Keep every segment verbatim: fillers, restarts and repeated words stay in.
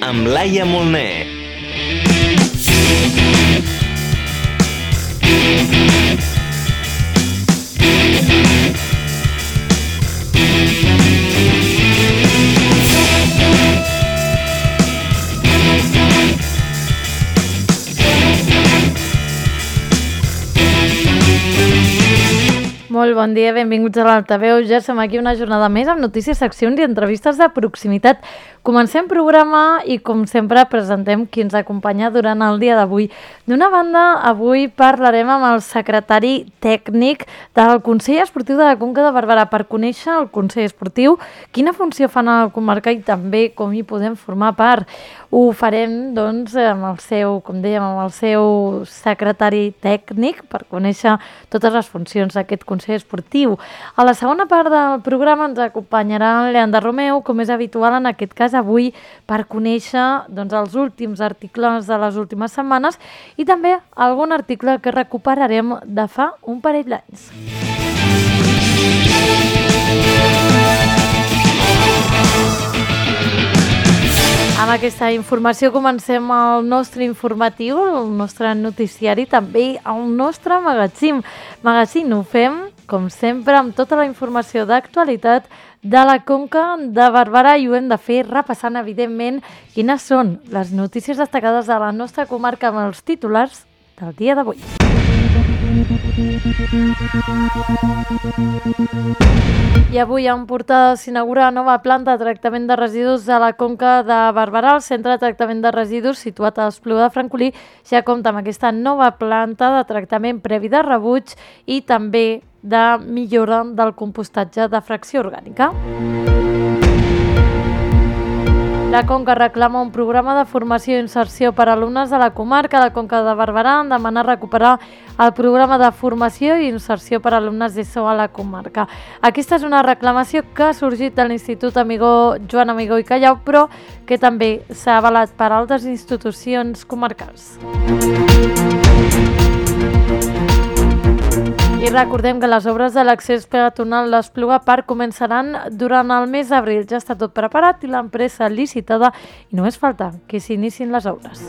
amb Laia Molner. Molt bon dia, benvinguts a l'Altaveu. Ja som aquí una jornada més amb notícies, seccions i entrevistes de proximitat. Comencem programa i, com sempre, presentem qui ens acompanya durant el dia d'avui. D'una banda, avui parlarem amb el secretari tècnic del Consell Esportiu de la Conca de Barberà per conèixer el Consell Esportiu, quina funció fan a la comarca i també com hi podem formar part. Ho farem, doncs, amb el seu, com dèiem, amb el seu secretari tècnic per conèixer totes les funcions d'aquest Consell Esportiu. A la segona part del programa ens acompanyarà Leandre Romeu, com és habitual en aquest cas avui, per conèixer doncs, els últims articles de les últimes setmanes i també algun article que recuperarem de fa un parell d'anys. Amb aquesta informació comencem el nostre informatiu, el nostre noticiari, també el nostre magazín. Magazín ho fem, com sempre, amb tota la informació d'actualitat de la Conca de Barberà i ho hem de fer repassant, evidentment, quines són les notícies destacades de la nostra comarca amb els titulars del dia d'avui. I avui en portada s'inaugura la nova planta de tractament de residus de la Conca de Barberà. El centre de tractament de residus situat a l'Espluga de Francolí ja compta amb aquesta nova planta de tractament previ de rebuig i també de millora del compostatge de fracció orgànica. La Conca reclama un programa de formació i inserció per a alumnes de la comarca. La Conca de Barberà en demana recuperar el programa de formació i inserció per a alumnes d'ESO a la comarca. Aquesta és una reclamació que ha sorgit de l'Institut Amigó Joan Amigó i Callau, però que també s'ha avalat per altres institucions comarcals. I recordem que les obres de l'accés peatonal l'Espluga Park començaran durant el mes d'abril. Ja està tot preparat i l'empresa licitada i només falta que s'inicin les obres.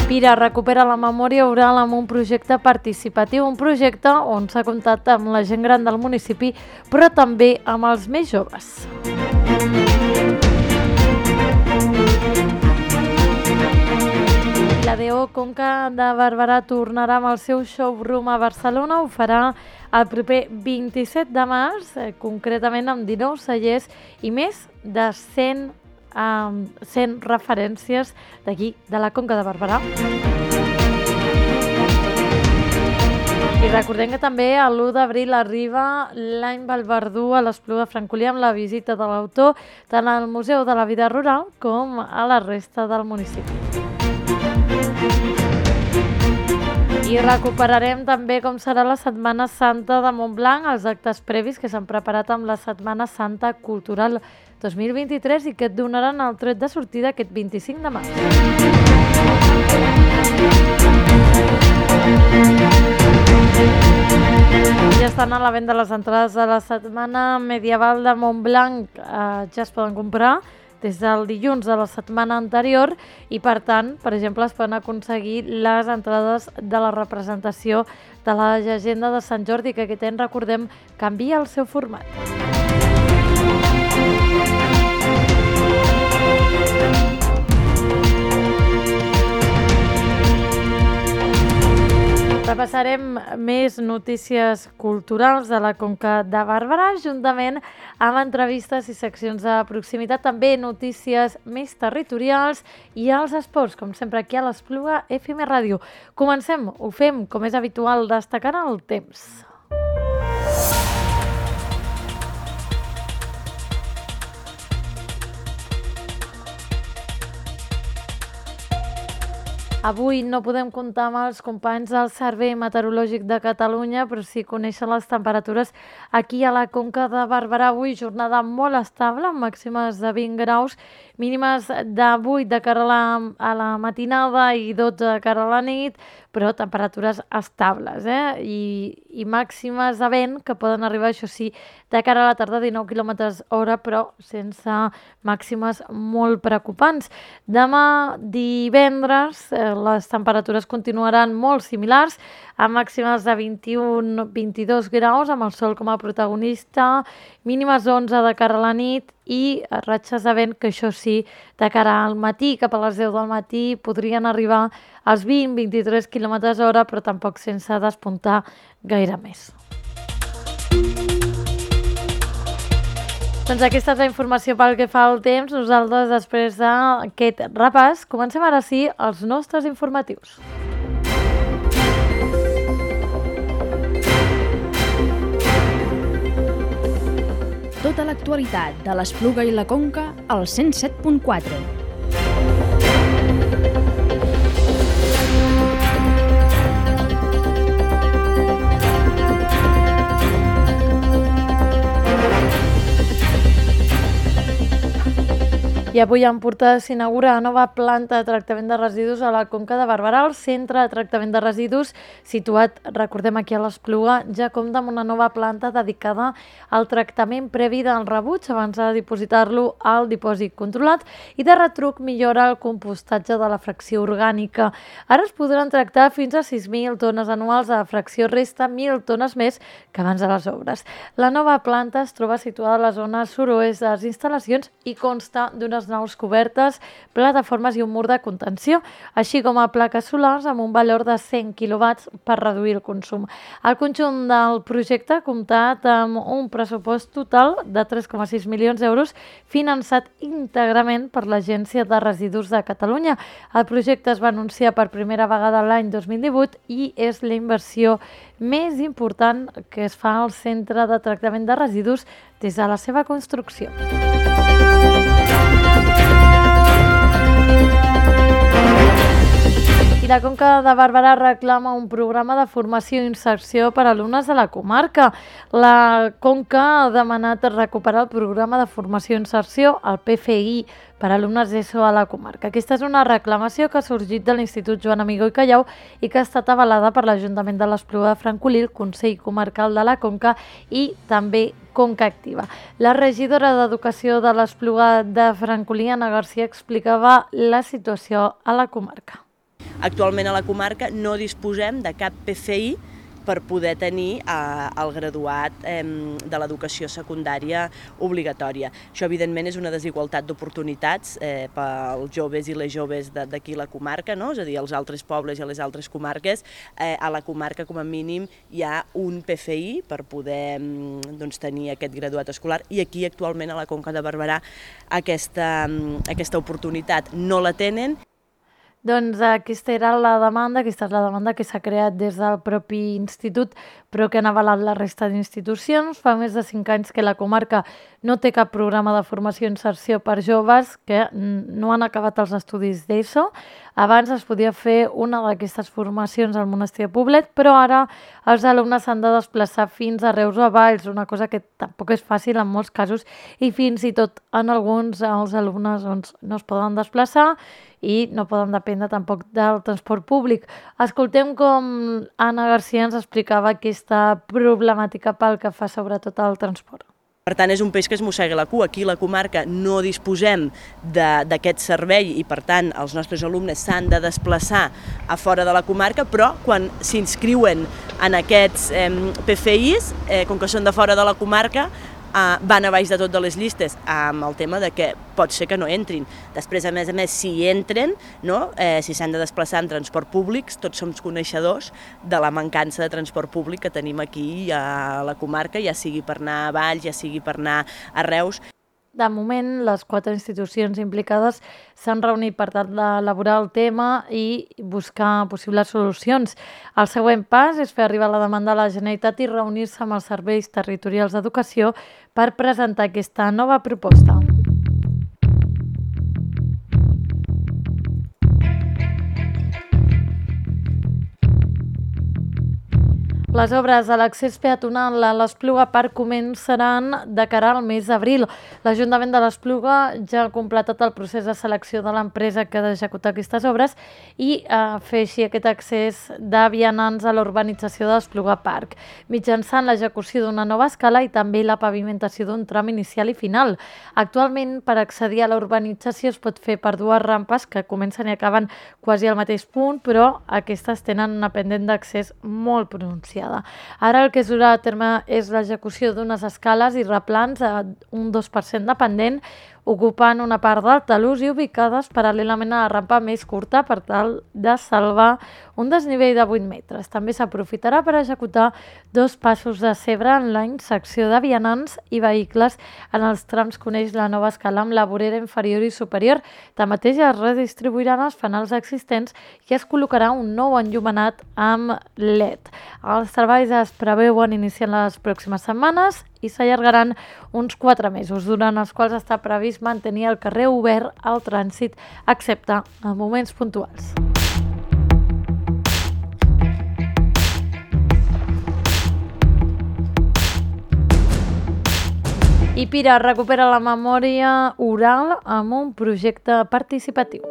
Pira recupera la memòria oral amb un projecte participatiu, un projecte on s'ha comptat amb la gent gran del municipi, però també amb els més joves. La D O Conca de Barberà tornarà amb el seu showroom a Barcelona. Ho farà el proper vint-i-set de març, eh, concretament amb dinou cellers i més de cent, um, cent referències d'aquí, de la Conca de Barberà. I recordem que també l'u d'abril arriba l'any Valverdú a l'Espluga de Francolí amb la visita de l'autor tant al Museu de la Vida Rural com a la resta del municipi. I recuperarem també com serà la Setmana Santa de Montblanc, els actes previs que s'han preparat amb la Setmana Santa Cultural dos mil vint-i-tres i que et donaran el tret de sortida aquest vint-i-cinc de març. Ja estan a la venda les entrades de la Setmana Medieval de Montblanc, eh, ja es poden comprar des del dilluns de la setmana anterior i, per tant, per exemple, es poden aconseguir les entrades de la representació de la llegenda de Sant Jordi, que aquest any, recordem, canvia el seu format. Repassarem més notícies culturals de la Conca de Barberà, juntament amb entrevistes i seccions de proximitat, també notícies més territorials i els esports, com sempre aquí a l'Espluga F M Ràdio. Comencem, ho fem, com és habitual, destacant el temps. Avui no podem comptar amb els companys del Servei Meteorològic de Catalunya, però sí conèixer les temperatures aquí a la Conca de Barberà. Avui jornada molt estable, amb màximes de vint graus, mínimes de vuit de cara a la, a la matinada i dotze de cara a la nit, però temperatures estables, eh? I, i màximes de vent que poden arribar, això sí, de cara a la tarda, dinou quilòmetres hora, però sense màximes molt preocupants. Demà divendres eh, les temperatures continuaran molt similars, amb màximes de vint-i-un a vint-i-dos graus, amb el sol com a protagonista, mínimes onze de cara a la nit i ratxes de vent que, això sí, de cara al matí, cap a les deu del matí, podrien arribar als vint a vint-i-tres quilòmetres hora, però tampoc sense despuntar gaire més. Doncs aquesta és la informació pel que fa al temps. Nosaltres, després d'aquest repàs, comencem ara sí els nostres informatius. Tota l'actualitat de l'Espluga i la Conca al cent set punt quatre. I avui a Empordà s'inaugura la nova planta de tractament de residus a la Conca de Barberà. El centre de tractament de residus, situat, recordem, aquí a l'Espluga, ja compta amb una nova planta dedicada al tractament previ del rebuig abans de dipositar-lo al dipòsit controlat i de retruc millora el compostatge de la fracció orgànica. Ara es podran tractar fins a sis mil tones anuals de fracció resta, mil tones més que abans de les obres. La nova planta es troba situada a la zona sud-oest de les instal·lacions i consta d'unes naus cobertes, plataformes i un mur de contenció, així com a plaques solars amb un valor de cent quilowatts per reduir el consum. El conjunt del projecte ha comptat amb un pressupost total de tres coma sis milions d'euros finançat íntegrament per l'Agència de Residus de Catalunya. El projecte es va anunciar per primera vegada l'any dos mil divuit i és la inversió més important que es fa al centre de tractament de residus des de la seva construcció. I la Conca de Barberà reclama un programa de formació i inserció per a alumnes de la comarca. La Conca ha demanat recuperar el programa de formació i inserció, el P F I, per a alumnes d'ESO a la comarca. Aquesta és una reclamació que ha sorgit de l'Institut Joan Amigó i Callau i que ha estat avalada per l'Ajuntament de l'Espluga de Francolí, el Consell Comarcal de la Conca i també Conca Activa. La regidora d'Educació de l'Espluga de Francolí, Anna Garcia, explicava la situació a la comarca. Actualment a la comarca no disposem de cap P F I per poder tenir eh, el graduat eh, de l'educació secundària obligatòria. Això, evidentment, és una desigualtat d'oportunitats eh, pels joves i les joves d'aquí la comarca, no? És a dir, als altres pobles i a les altres comarques. Eh, a la comarca, com a mínim, hi ha un P F I per poder doncs, tenir aquest graduat escolar i aquí, actualment, a la Conca de Barberà, aquesta, aquesta oportunitat no la tenen. Doncs aquesta era la demanda, aquesta és la demanda que s'ha creat des del propi institut, però que han avalat la resta d'institucions. Fa més de cinc anys que la comarca no té cap programa de formació i inserció per joves que no han acabat els estudis d'ESO. Abans es podia fer una d'aquestes formacions al monestir de Poblet, però ara els alumnes s'han de desplaçar fins a Reus o a Valls, una cosa que tampoc és fàcil en molts casos, i fins i tot en alguns els alumnes doncs, no es poden desplaçar i no poden dependre tampoc del transport públic. Escoltem com Anna Garcia ens explicava aquesta problemàtica pel que fa sobretot al transport. Per tant, és un peix que es mossega la cua. Aquí a la comarca no disposem d'aquest servei i, per tant, els nostres alumnes s'han de desplaçar a fora de la comarca, però quan s'inscriuen en aquests eh, P F Is, eh, com que són de fora de la comarca, Uh, van a baix de tot de les llistes amb el tema de que pot ser que no entrin. Després, a més a més, si entren, no? eh, si s'han de desplaçar en transport públic, tots som coneixedors de la mancança de transport públic que tenim aquí a la comarca, ja sigui per anar a Valls, ja sigui per anar a Reus. De moment, les quatre institucions implicades s'han reunit per tal d'elaborar el tema i buscar possibles solucions. El següent pas és fer arribar la demanda a la Generalitat i reunir-se amb els serveis territorials d'educació per presentar aquesta nova proposta. Les obres a l'accés peatonal a l'Espluga Park començaran de cara al mes d'abril. L'Ajuntament de l'Espluga ja ha completat el procés de selecció de l'empresa que ha d'executar aquestes obres i eh, fer així aquest accés de vianants a l'urbanització de l'Espluga Park, mitjançant l'execució d'una nova escala i també la pavimentació d'un tram inicial i final. Actualment, per accedir a la urbanització es pot fer per dues rampes que comencen i acaben quasi al mateix punt, però aquestes tenen una pendent d'accés molt pronunciada. Ara el que es durà a terme és l'execució d'unes escales i replans a un dos per cent de pendent, ocupant una part del talús i ubicades paral·lelament a la rampa més curta per tal de salvar un desnivell de vuit metres. També s'aprofitarà per executar dos passos de cebre en la secció de vianants i vehicles en els trams que uneix la nova escala amb la vorera inferior i superior. Tanmateix es redistribuiran els fanals existents i es col·locarà un nou enllumenat amb L E D. Els treballs es preveuen iniciar en les pròximes setmanes i s'allargaran uns quatre mesos, durant els quals està previst mantenir el carrer obert al trànsit, excepte en moments puntuals. I Pira recupera la memòria oral amb un projecte participatiu.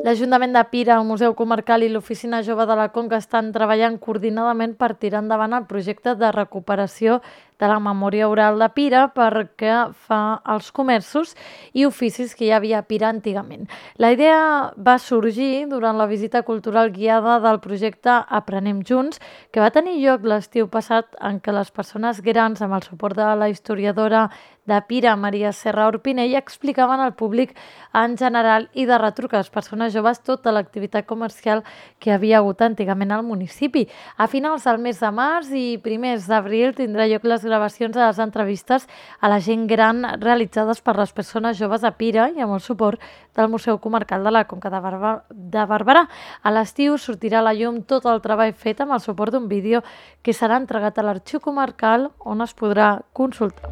L'Ajuntament de Pira, el Museu Comarcal i l'Oficina Jove de la Conca estan treballant coordinadament per tirar endavant el projecte de recuperació de la memòria oral de Pira perquè fa els comerços i oficis que hi havia a Pira antigament. La idea va sorgir durant la visita cultural guiada del projecte Aprenem Junts, que va tenir lloc l'estiu passat en què les persones grans, amb el suport de la historiadora de Pira, Maria Serra Orpinell, explicaven al públic en general i de retruc a les persones joves tota l'activitat comercial que hi havia hagut antigament al municipi. A finals del mes de març i primers d'abril tindrà lloc les gravacions de les entrevistes a la gent gran realitzades per les persones joves a Pira i amb el suport del Museu Comarcal de la Conca de, Barba, de Barberà. A l'estiu sortirà a la llum tot el treball fet amb el suport d'un vídeo que serà entregat a l'Arxiu Comarcal on es podrà consultar.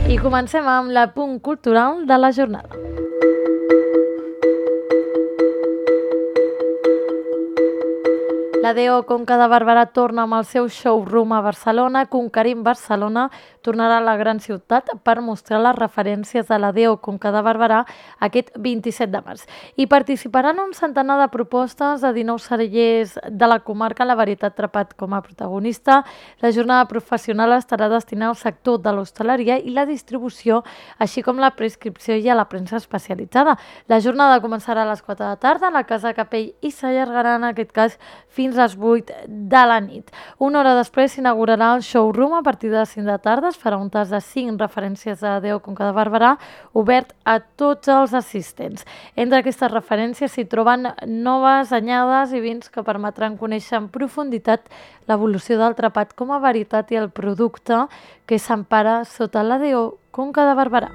I comencem amb l'apunt cultural de la jornada. La D O Conca de Barberà torna amb el seu showroom a Barcelona. Conquerim Barcelona tornarà a la gran ciutat per mostrar les referències de la D O Conca de Barberà aquest vint-i-set de març. Hi participaran un centenar de propostes de dinou cellers de la comarca, la varietat Trepat com a protagonista. La jornada professional estarà destinada al sector de l'hostaleria i la distribució, així com la prescripció i a la premsa especialitzada. La jornada començarà a les quatre de la tarda a la Casa Capell i s'allargarà en aquest cas fins a les vuit de la nit. Una hora després s'inaugurarà el showroom a partir de les cinc de la tarda. Es farà un tas de cinc referències de D O Conca de Barberà obert a tots els assistents. Entre aquestes referències s'hi troben noves anyades i vins que permetran conèixer en profunditat l'evolució del trepat com a varietat i el producte que s'empara sota la D O Conca de Barberà.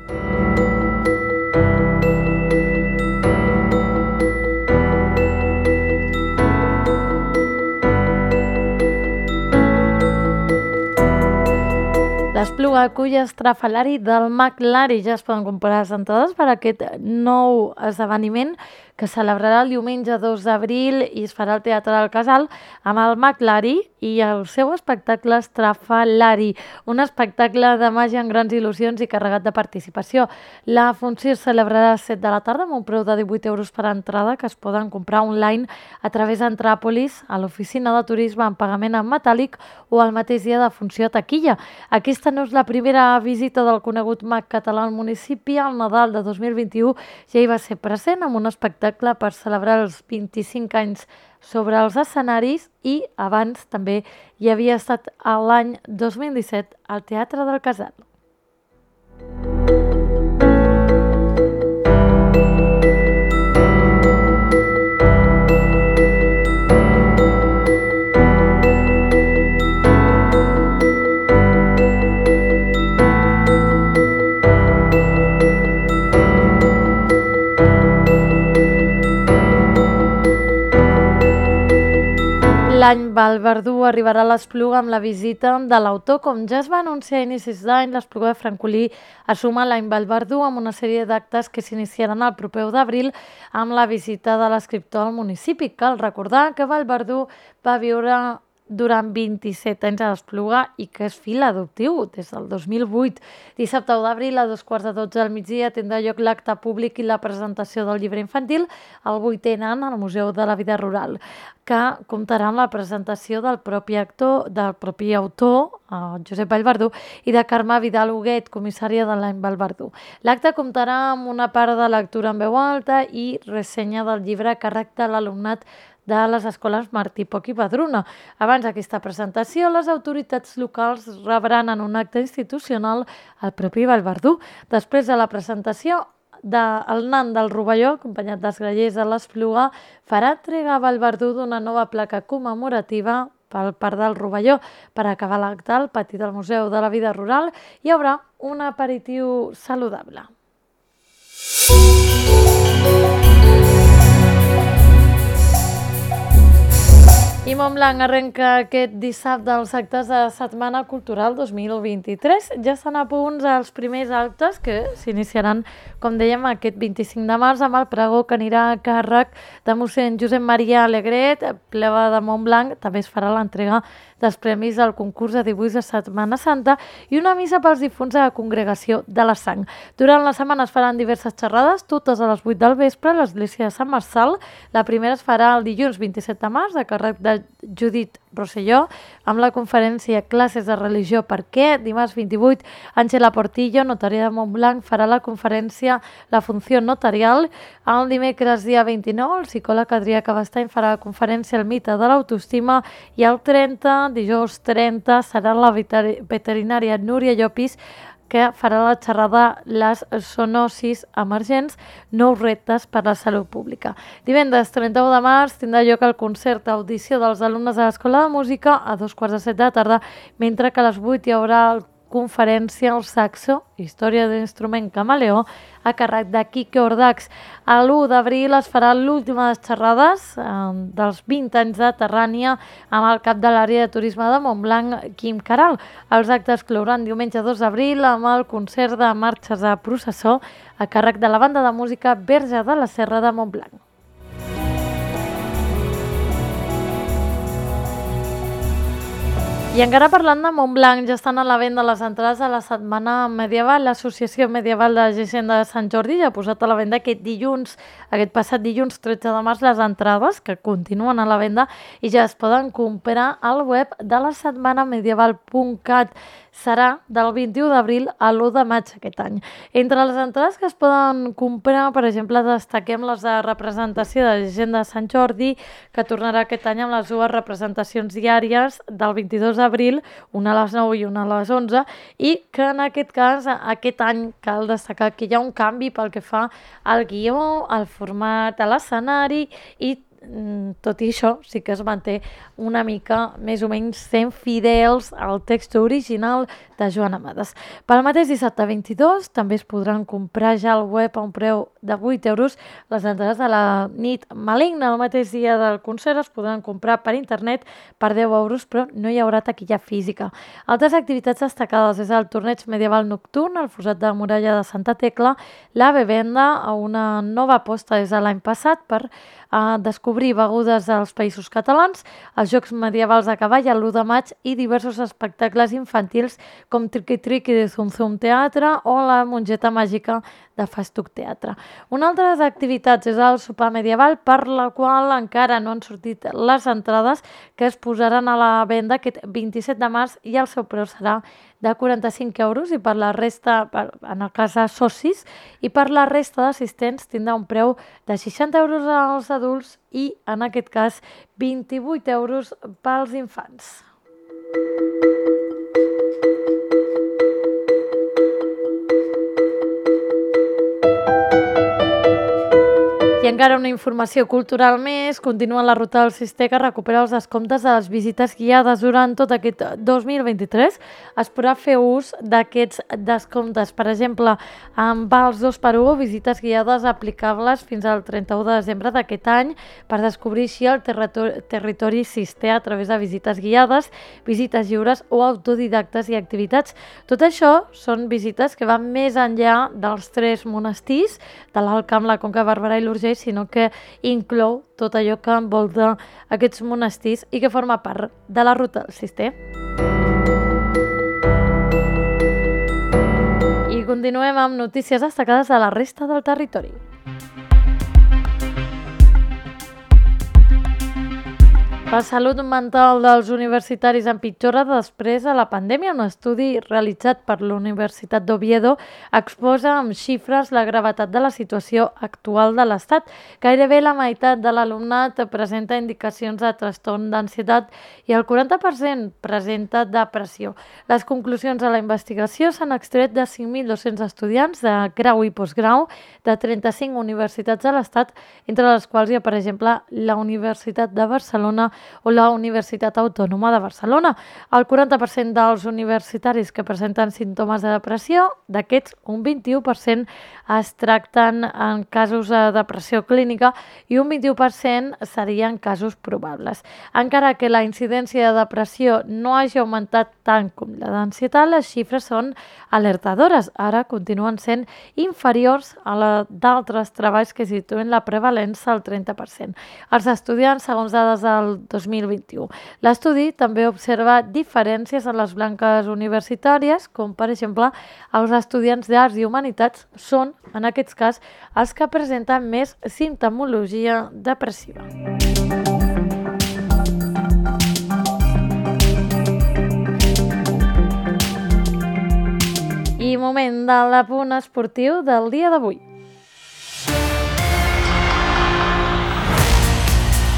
L'Espluga acull estrafalari del McLari. Ja es poden comprar les entrades per a aquest nou esdeveniment que celebrarà el diumenge dos d'abril i es farà al Teatre del Casal amb el McLari i el seu espectacle Estrafalari, un espectacle de màgia amb grans il·lusions i carregat de participació. La funció es celebrarà a les set de la tarda amb un preu de divuit euros per entrada que es poden comprar online a través d'Entràpolis, a l'oficina de turisme en pagament en metàl·lic o el mateix dia de funció a taquilla. Aquesta no és la primera visita del conegut mag català al municipi. Al Nadal de dos mil vint-i-u ja hi va ser present amb un espectacle per celebrar els vint-i-cinc anys sobre els escenaris i abans també hi havia estat l'any dos mil disset al Teatre del Casal. L'any Vallverdú arribarà a l'Espluga amb la visita de l'autor. Com ja es va anunciar a inicis d'any, l'Espluga de Francolí assuma l'any Vallverdú amb una sèrie d'actes que s'iniciaran el proper u d'abril amb la visita de l'escriptor al municipi. Cal recordar que Vallverdú va viure durant vint-i-set anys a l'Espluga i que és fill adoptiu des del dos mil vuit. Dissabte u d'abril a dos quarts de dotze del migdia tindrà lloc l'acte públic i la presentació del llibre infantil El vuitè nan al Museu de la Vida Rural, que comptarà amb la presentació del propi actor, del propi autor, Josep Vallverdú, i de Carme Vidal Huguet, comissària de l'any Vallverdú. L'acte comptarà amb una part de lectura en veu alta i ressenya del llibre a càrrec de l'alumnat de les escoles Martí Poch i Padruna. Abans d'aquesta presentació, les autoritats locals rebran en un acte institucional el propi Vallverdú. Després de la presentació, el nan del Rovelló, acompanyat dels grallers de l'Espluga, farà entrega a Vallverdú d'una nova placa commemorativa pel Parc del Rovelló. Per acabar l'acte, al pati del Museu de la Vida Rural hi haurà un aperitiu saludable. I Montblanc arrenca aquest dissabte els actes de Setmana Cultural dos mil vint-i-tres. Ja estan a punts els primers actes que s'iniciaran, com dèiem, aquest vint-i-cinc de març amb el pregó que anirà a càrrec de mossèn Josep Maria Alegret, plebe de Montblanc. També es farà l'entrega dels premis del concurs de dibuix de Setmana Santa i una missa pels difunts de la Congregació de la Sang. Durant la setmana es faran diverses xerrades, totes a les vuit del vespre, a l'església de Sant Marçal. La primera es farà el dilluns vint-i-set de març, a càrrec de Judit Rosselló, amb la conferència Classes de religió per què. Dimarts vint-i-vuit, Àngela Portillo, notària de Montblanc, farà la conferència La funció notarial. El dimecres, dia vint-i-nou, el psicòleg Adrià Cabestany farà la conferència El mite de l'autoestima i el trenta, dijous trenta, serà la veterinària Núria Llopis, que farà la xerrada Les zoonosis emergents, nous reptes per la salut pública. Divendres trenta-u de març tindrà lloc el concert audició dels alumnes de l'Escola de Música a dos quarts de set de la tarda, mentre que a les vuit hi haurà el conferència El saxo, història de l'instrument camaleó, a càrrec de Quique Ordax. A l'u d'abril es farà l'última de les xerrades eh, dels vint anys de Terrània amb el cap de l'àrea de turisme de Montblanc, Quim Caral. Els actes clouran diumenge dos d'abril amb el concert de marxes de processó a càrrec de la banda de música Verge de la Serra de Montblanc. I encara parlant de Montblanc, ja estan a la venda les entrades a la Setmana Medieval. L'Associació Medieval de Llegenda de Sant Jordi ja ha posat a la venda aquest dilluns, aquest passat dilluns tretze de març, les entrades que continuen a la venda i ja es poden comprar al web de la setmana medieval punt cat. Serà del vint-i-u d'abril a l'u de maig aquest any. Entre les entrades que es poden comprar, per exemple, destaquem les de representació de Llegenda de Sant Jordi, que tornarà aquest any amb les dues representacions diàries del vint-i-dos d'abril, una a les nou i una a les onze, i que en aquest cas, aquest any, cal destacar que hi ha un canvi pel que fa al guió, al format, a l'escenari i tot i això sí que es manté una mica més o menys sent fidels al text original de Joan Amades. Pel mateix dissabte vint-i-dos també es podran comprar ja al web a un preu de vuit euros les entrades de la nit maligna. El mateix dia del concert es podran comprar per internet per deu euros, però no hi haurà taquilla física. Altres activitats destacades és el torneig medieval nocturn, el fossat de muralla de Santa Tecla, la bevenda, a una nova aposta des de l'any passat per a descobrir begudes dels països catalans, els Jocs Medievals a cavall l'u de maig i diversos espectacles infantils com Triqui Triqui de Zum Zum Teatre o la Mongeta Màgica de Fastuc Teatre. Una altra activitat és el sopar medieval, per la qual encara no han sortit les entrades, que es posaran a la venda aquest vint-i-set de març i el seu preu serà de quaranta-cinc euros i per la resta, per, en el cas de socis, i per la resta d'assistents tindrà un preu de seixanta euros als adults i, en aquest cas, vint-i-vuit euros pels infants. I encara una informació cultural més, continua la ruta del Cister que recupera els descomptes de les visites guiades durant tot aquest dos mil vint-i-tres. Es podrà fer ús d'aquests descomptes, per exemple, amb vals dos per u o visites guiades aplicables fins al trenta-u de desembre d'aquest any per descobrir així el territori, territori Cister a través de visites guiades, visites lliures o autodidactes i activitats. Tot això són visites que van més enllà dels tres monestirs, de l'Alt Camp, la Conca de Barberà i l'Urgell, sinó que inclou tot allò que envolta aquests monestirs i que forma part de la ruta del Cister. I continuem amb notícies destacades de la resta del territori. La salut mental dels universitaris empitjora després de la pandèmia. Un estudi realitzat per la Universitat d'Oviedo exposa amb xifres la gravetat de la situació actual de l'Estat. Gairebé la meitat de l'alumnat presenta indicacions de trastorn d'ansietat i el quaranta per cent presenta depressió. Les conclusions de la investigació s'han extret de cinc mil dos-cents estudiants de grau i postgrau de trenta-cinc universitats de l'Estat, entre les quals hi ha, per exemple, la Universitat de Barcelona o la Universitat Autònoma de Barcelona. El quaranta per cent dels universitaris que presenten símptomes de depressió, d'aquests un vint-i-u per cent es tracten en casos de depressió clínica i un vint-i-u per cent serien casos probables. Encara que la incidència de depressió no hagi augmentat tant com la d'ansietat, les xifres són alertadores. Ara continuen sent inferiors a la d'altres treballs que situen la prevalença al trenta per cent. Els estudiants, segons dades del dos mil vint-i-u. L'estudi també observa diferències en les blanques universitàries, com per exemple els estudiants d'Arts i Humanitats són, en aquest cas, els que presenten més simptomologia depressiva. I moment de l'apunt esportiu del dia d'avui.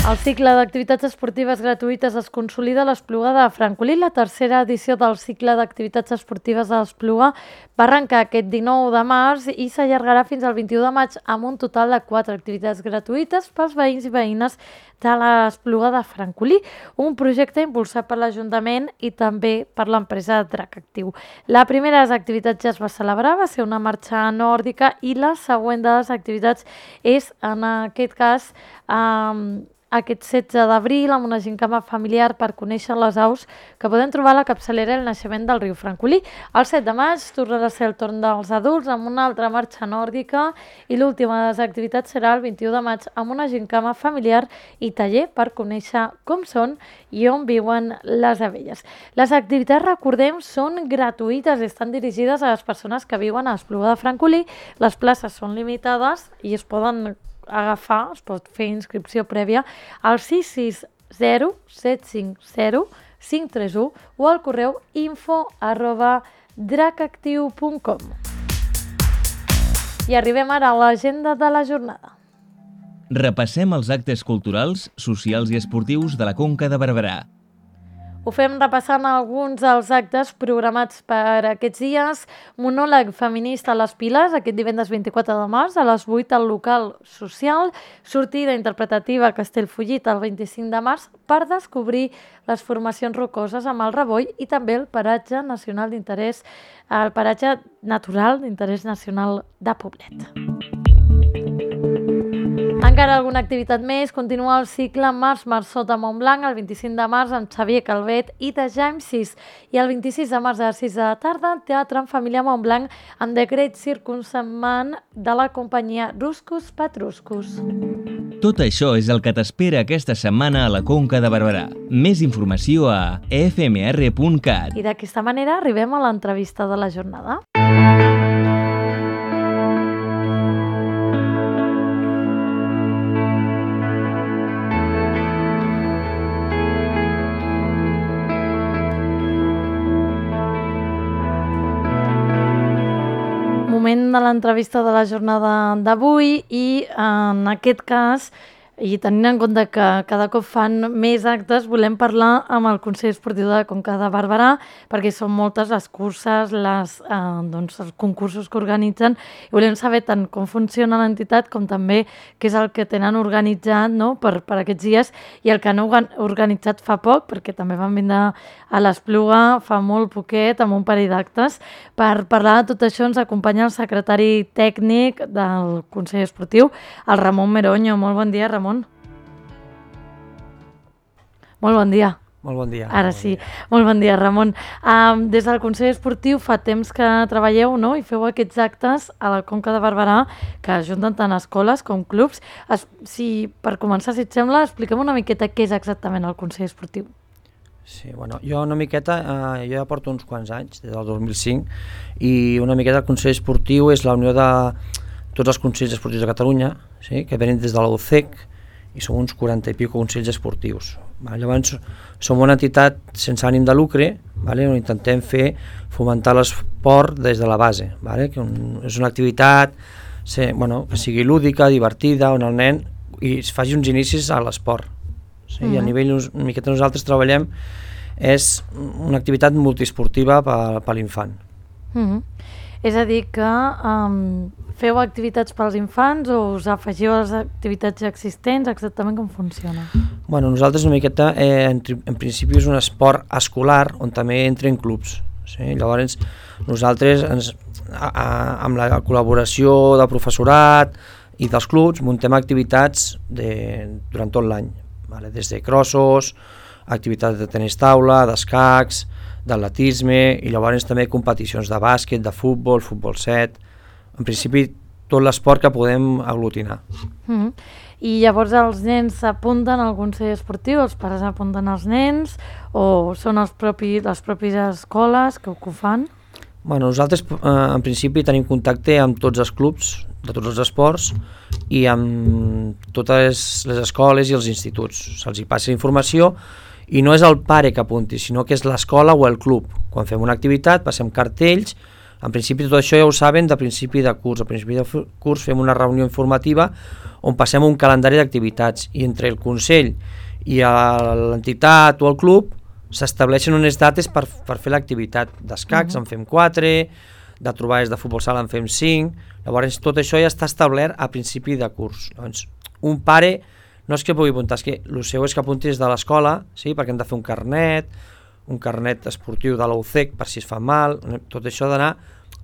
El cicle d'activitats esportives gratuïtes es consolida a l'Espluga de Francolí. La tercera edició del cicle d'activitats esportives a l'Espluga va arrencar aquest dinou de març i s'allargarà fins al vint-i-u de maig amb un total de quatre activitats gratuïtes pels veïns i veïnes de l'Espluga de Francolí, un projecte impulsat per l'Ajuntament i també per l'empresa Drac Actiu. La primera de les activitats ja es va celebrar, va ser una marxa nòrdica, i la següent de les activitats és, en aquest cas, eh, aquest setze d'abril amb una gincama familiar per conèixer les aus que podem trobar a la capçalera El Naixement del riu Francolí. El set de maig tornarà a ser el torn dels adults amb una altra marxa nòrdica i l'última de les activitats serà el vint-i-u de maig amb una gincama familiar i taller per conèixer com són i on viuen les abelles. Les activitats, recordem, són gratuïtes i estan dirigides a les persones que viuen a l'Espluga de Francolí. Les places són limitades i es poden agafar, es pot fer inscripció prèvia al sis sis zero set cinc zero cinc tres u o al correu info arroba dracactiu punt com. I arribem ara a l'agenda de la jornada. Repassem els actes culturals, socials i esportius de la Conca de Barberà. Ho fem repassant alguns dels actes programats per aquests dies. Monòleg feminista a les Piles, aquest divendres vint-i-quatre de març, a les vuit al local social. Sortida interpretativa a Castellfollit el vint-i-cinc de març per descobrir les formacions rocoses amb el Revoll i també el paratge nacional d'interès, el paratge natural d'interès nacional de Poblet. Encara alguna activitat més, continua el cicle Març Marçot a Montblanc el vint-i-cinc de març amb Xavier Calvet i de James sis i el vint-i-sis de març a les sis de la tarda Teatre en Família Montblanc amb decret circumsemmant de la companyia Ruscus Patruscus. Tot això és el que t'espera aquesta setmana a la Conca de Barberà. Més informació a e f m r punt cat. I d'aquesta manera arribem a l'entrevista de la jornada. Moment de l'entrevista de la jornada d'avui i en aquest cas I tenint en compte que cada cop fan més actes, volem parlar amb el Consell Esportiu de Conca de Barberà, perquè són moltes les curses, les, eh, doncs, els concursos que organitzen, i volem saber tant com funciona l'entitat com també què és el que tenen organitzat, no?, per, per aquests dies, i el que han organitzat fa poc, perquè també van vindre a l'Espluga fa molt poquet, amb un parell d'actes. Per parlar de tot això ens acompanya el secretari tècnic del Consell Esportiu, el Ramon Meroño. Molt bon dia, Ramon. Molt bon dia. Molt bon dia. Ara sí, molt bon dia, Ramon. Um, des del Consell Esportiu fa temps que treballeu, no?, i feu aquests actes a la Conca de Barberà que ajunten tant escoles com clubs. Es, si, per començar, si et sembla, expliquem una miqueta què és exactament el Consell Esportiu. Sí, bueno, jo una miqueta, eh, jo ja porto uns quants anys, des del dos mil cinc, i una miqueta el Consell Esportiu és la unió de tots els Consells Esportius de Catalunya, sí, que venen des de la U C E C, i som uns quaranta i pico Consells Esportius. Vale? Llavors, som una entitat sense ànim de lucre, vale? On intentem fer fomentar l'esport des de la base, vale? Que un, és una activitat sí, bueno, que sigui lúdica, divertida, on el nen i es faci uns inicis a l'esport. Sí? Mm-hmm. I a nivell, una miqueta nosaltres treballem, és una activitat multiesportiva per, per l'infant. Mm-hmm. És a dir que um, feu activitats pels infants o us afegiu a les activitats existents? Exactament com funciona? Bueno, nosaltres una miqueta, eh, en, en principi és un esport escolar on també entren clubs. Sí? Llavors nosaltres ens, a, a, amb la col·laboració del professorat i dels clubs muntem activitats de, durant tot l'any, vale? Des de crossos, activitats de tenis taula, d'escacs, d'atletisme, i llavors també competicions de bàsquet, de futbol, futbol set, en principi tot l'esport que podem aglutinar. Mm-hmm. I llavors els nens s'apunten al Consell Esportiu, els pares apunten als nens, o són els propis, les pròpies escoles que ho fan? Bueno, nosaltres eh, en principi tenim contacte amb tots els clubs de tots els esports i amb totes les escoles i els instituts. Se'ls hi passa informació i no és el pare que apunti, sinó que és l'escola o el club. Quan fem una activitat, passem cartells, en principi tot això ja ho saben de principi de curs. A principi de curs fem una reunió informativa on passem un calendari d'activitats i entre el Consell i l'entitat o el club s'estableixen unes dates per, per fer l'activitat. D'escacs uh-huh. en fem quatre, de trobades de futbol sala en fem cinc, llavors tot això ja està establert a principi de curs. Llavors, un pare no és que pugui apuntar, és que el seu és que apunti des de l'escola, sí, perquè hem de fer un carnet, un carnet esportiu de la U C E C per si es fa mal, tot això ha d'anar,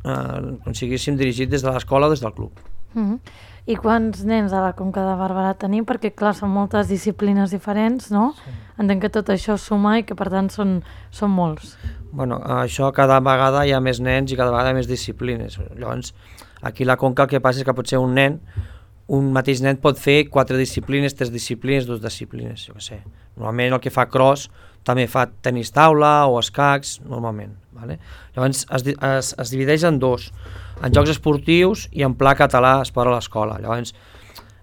eh, com si haguéssim dirigit des de l'escola o des del club. Mm-hmm. I quants nens a la Conca de Barberà tenim? Perquè clar, són moltes disciplines diferents, no? Sí. Entenc que tot això suma i que per tant són, són molts. Bueno, això cada vegada hi ha més nens i cada vegada hi ha més disciplines. Llavors, aquí a la Conca el que passa és que potser un nen un mateix nen pot fer quatre disciplines, tres disciplines, dues disciplines, jo què sé. Normalment el que fa cross també fa tenis taula o escacs, normalment. Vale? Llavors es, es, es divideix en dos, en jocs esportius i en pla català esport a l'escola. Llavors,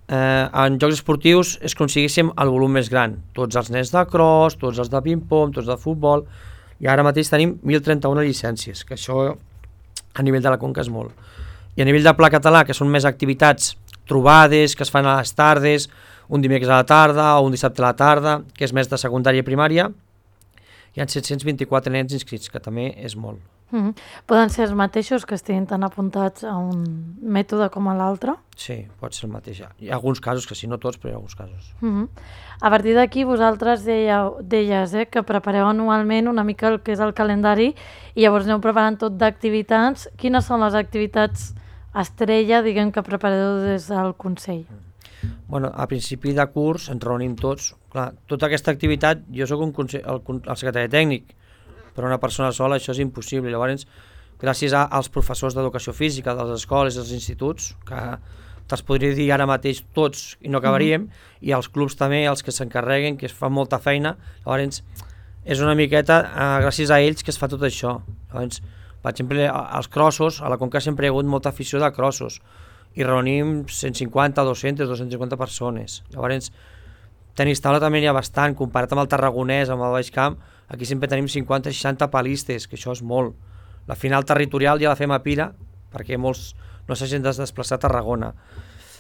eh, en jocs esportius és com si haguéssim el volum més gran. Tots els nens de cross, tots els de ping-pong, tots de futbol, i ara mateix tenim mil trenta-una llicències, que això a nivell de la Conca és molt. I a nivell de pla català, que són més activitats trobades que es fan a les tardes, un dimecres a la tarda o un dissabte a la tarda, que és més de secundària i primària, hi ha set-cents vint-i-quatre nens inscrits, que també és molt. Mm-hmm. Poden ser els mateixos que estiguin tan apuntats a un mètode com a l'altre? Sí, pot ser el mateix. Hi ha alguns casos que sí, no tots, però hi ha alguns casos. Mm-hmm. A partir d'aquí vosaltres dèieu, deies eh, que prepareu anualment una mica el que és el calendari i llavors aneu preparant tot d'activitats. Quines són les activitats estrella, diguem, que prepareu des del Consell? Bueno, a principi de curs ens reunim tots. Clar, tota aquesta activitat, jo soc un consell, el, el secretari tècnic, però una persona sola això és impossible. Llavors, gràcies a, als professors d'educació física de les escoles i dels instituts, que te'ls podria dir ara mateix tots i no acabaríem, mm-hmm. i els clubs també, els que s'encarreguen, que es fan molta feina, llavors és una miqueta eh, gràcies a ells que es fa tot això. Llavors, per exemple, als crossos, a la Conca sempre hi ha hagut molta afició de crossos i reunim cent cinquanta, dues-centes, dues-centes cinquanta persones. Llavors, tenis taula també hi ha bastant, comparat amb el Tarragonès, amb el Baix Camp, aquí sempre tenim cinquanta seixanta palistes, que això és molt. La final territorial ja la fem a Pira, perquè molts no s'hagin de desplaçar a Tarragona.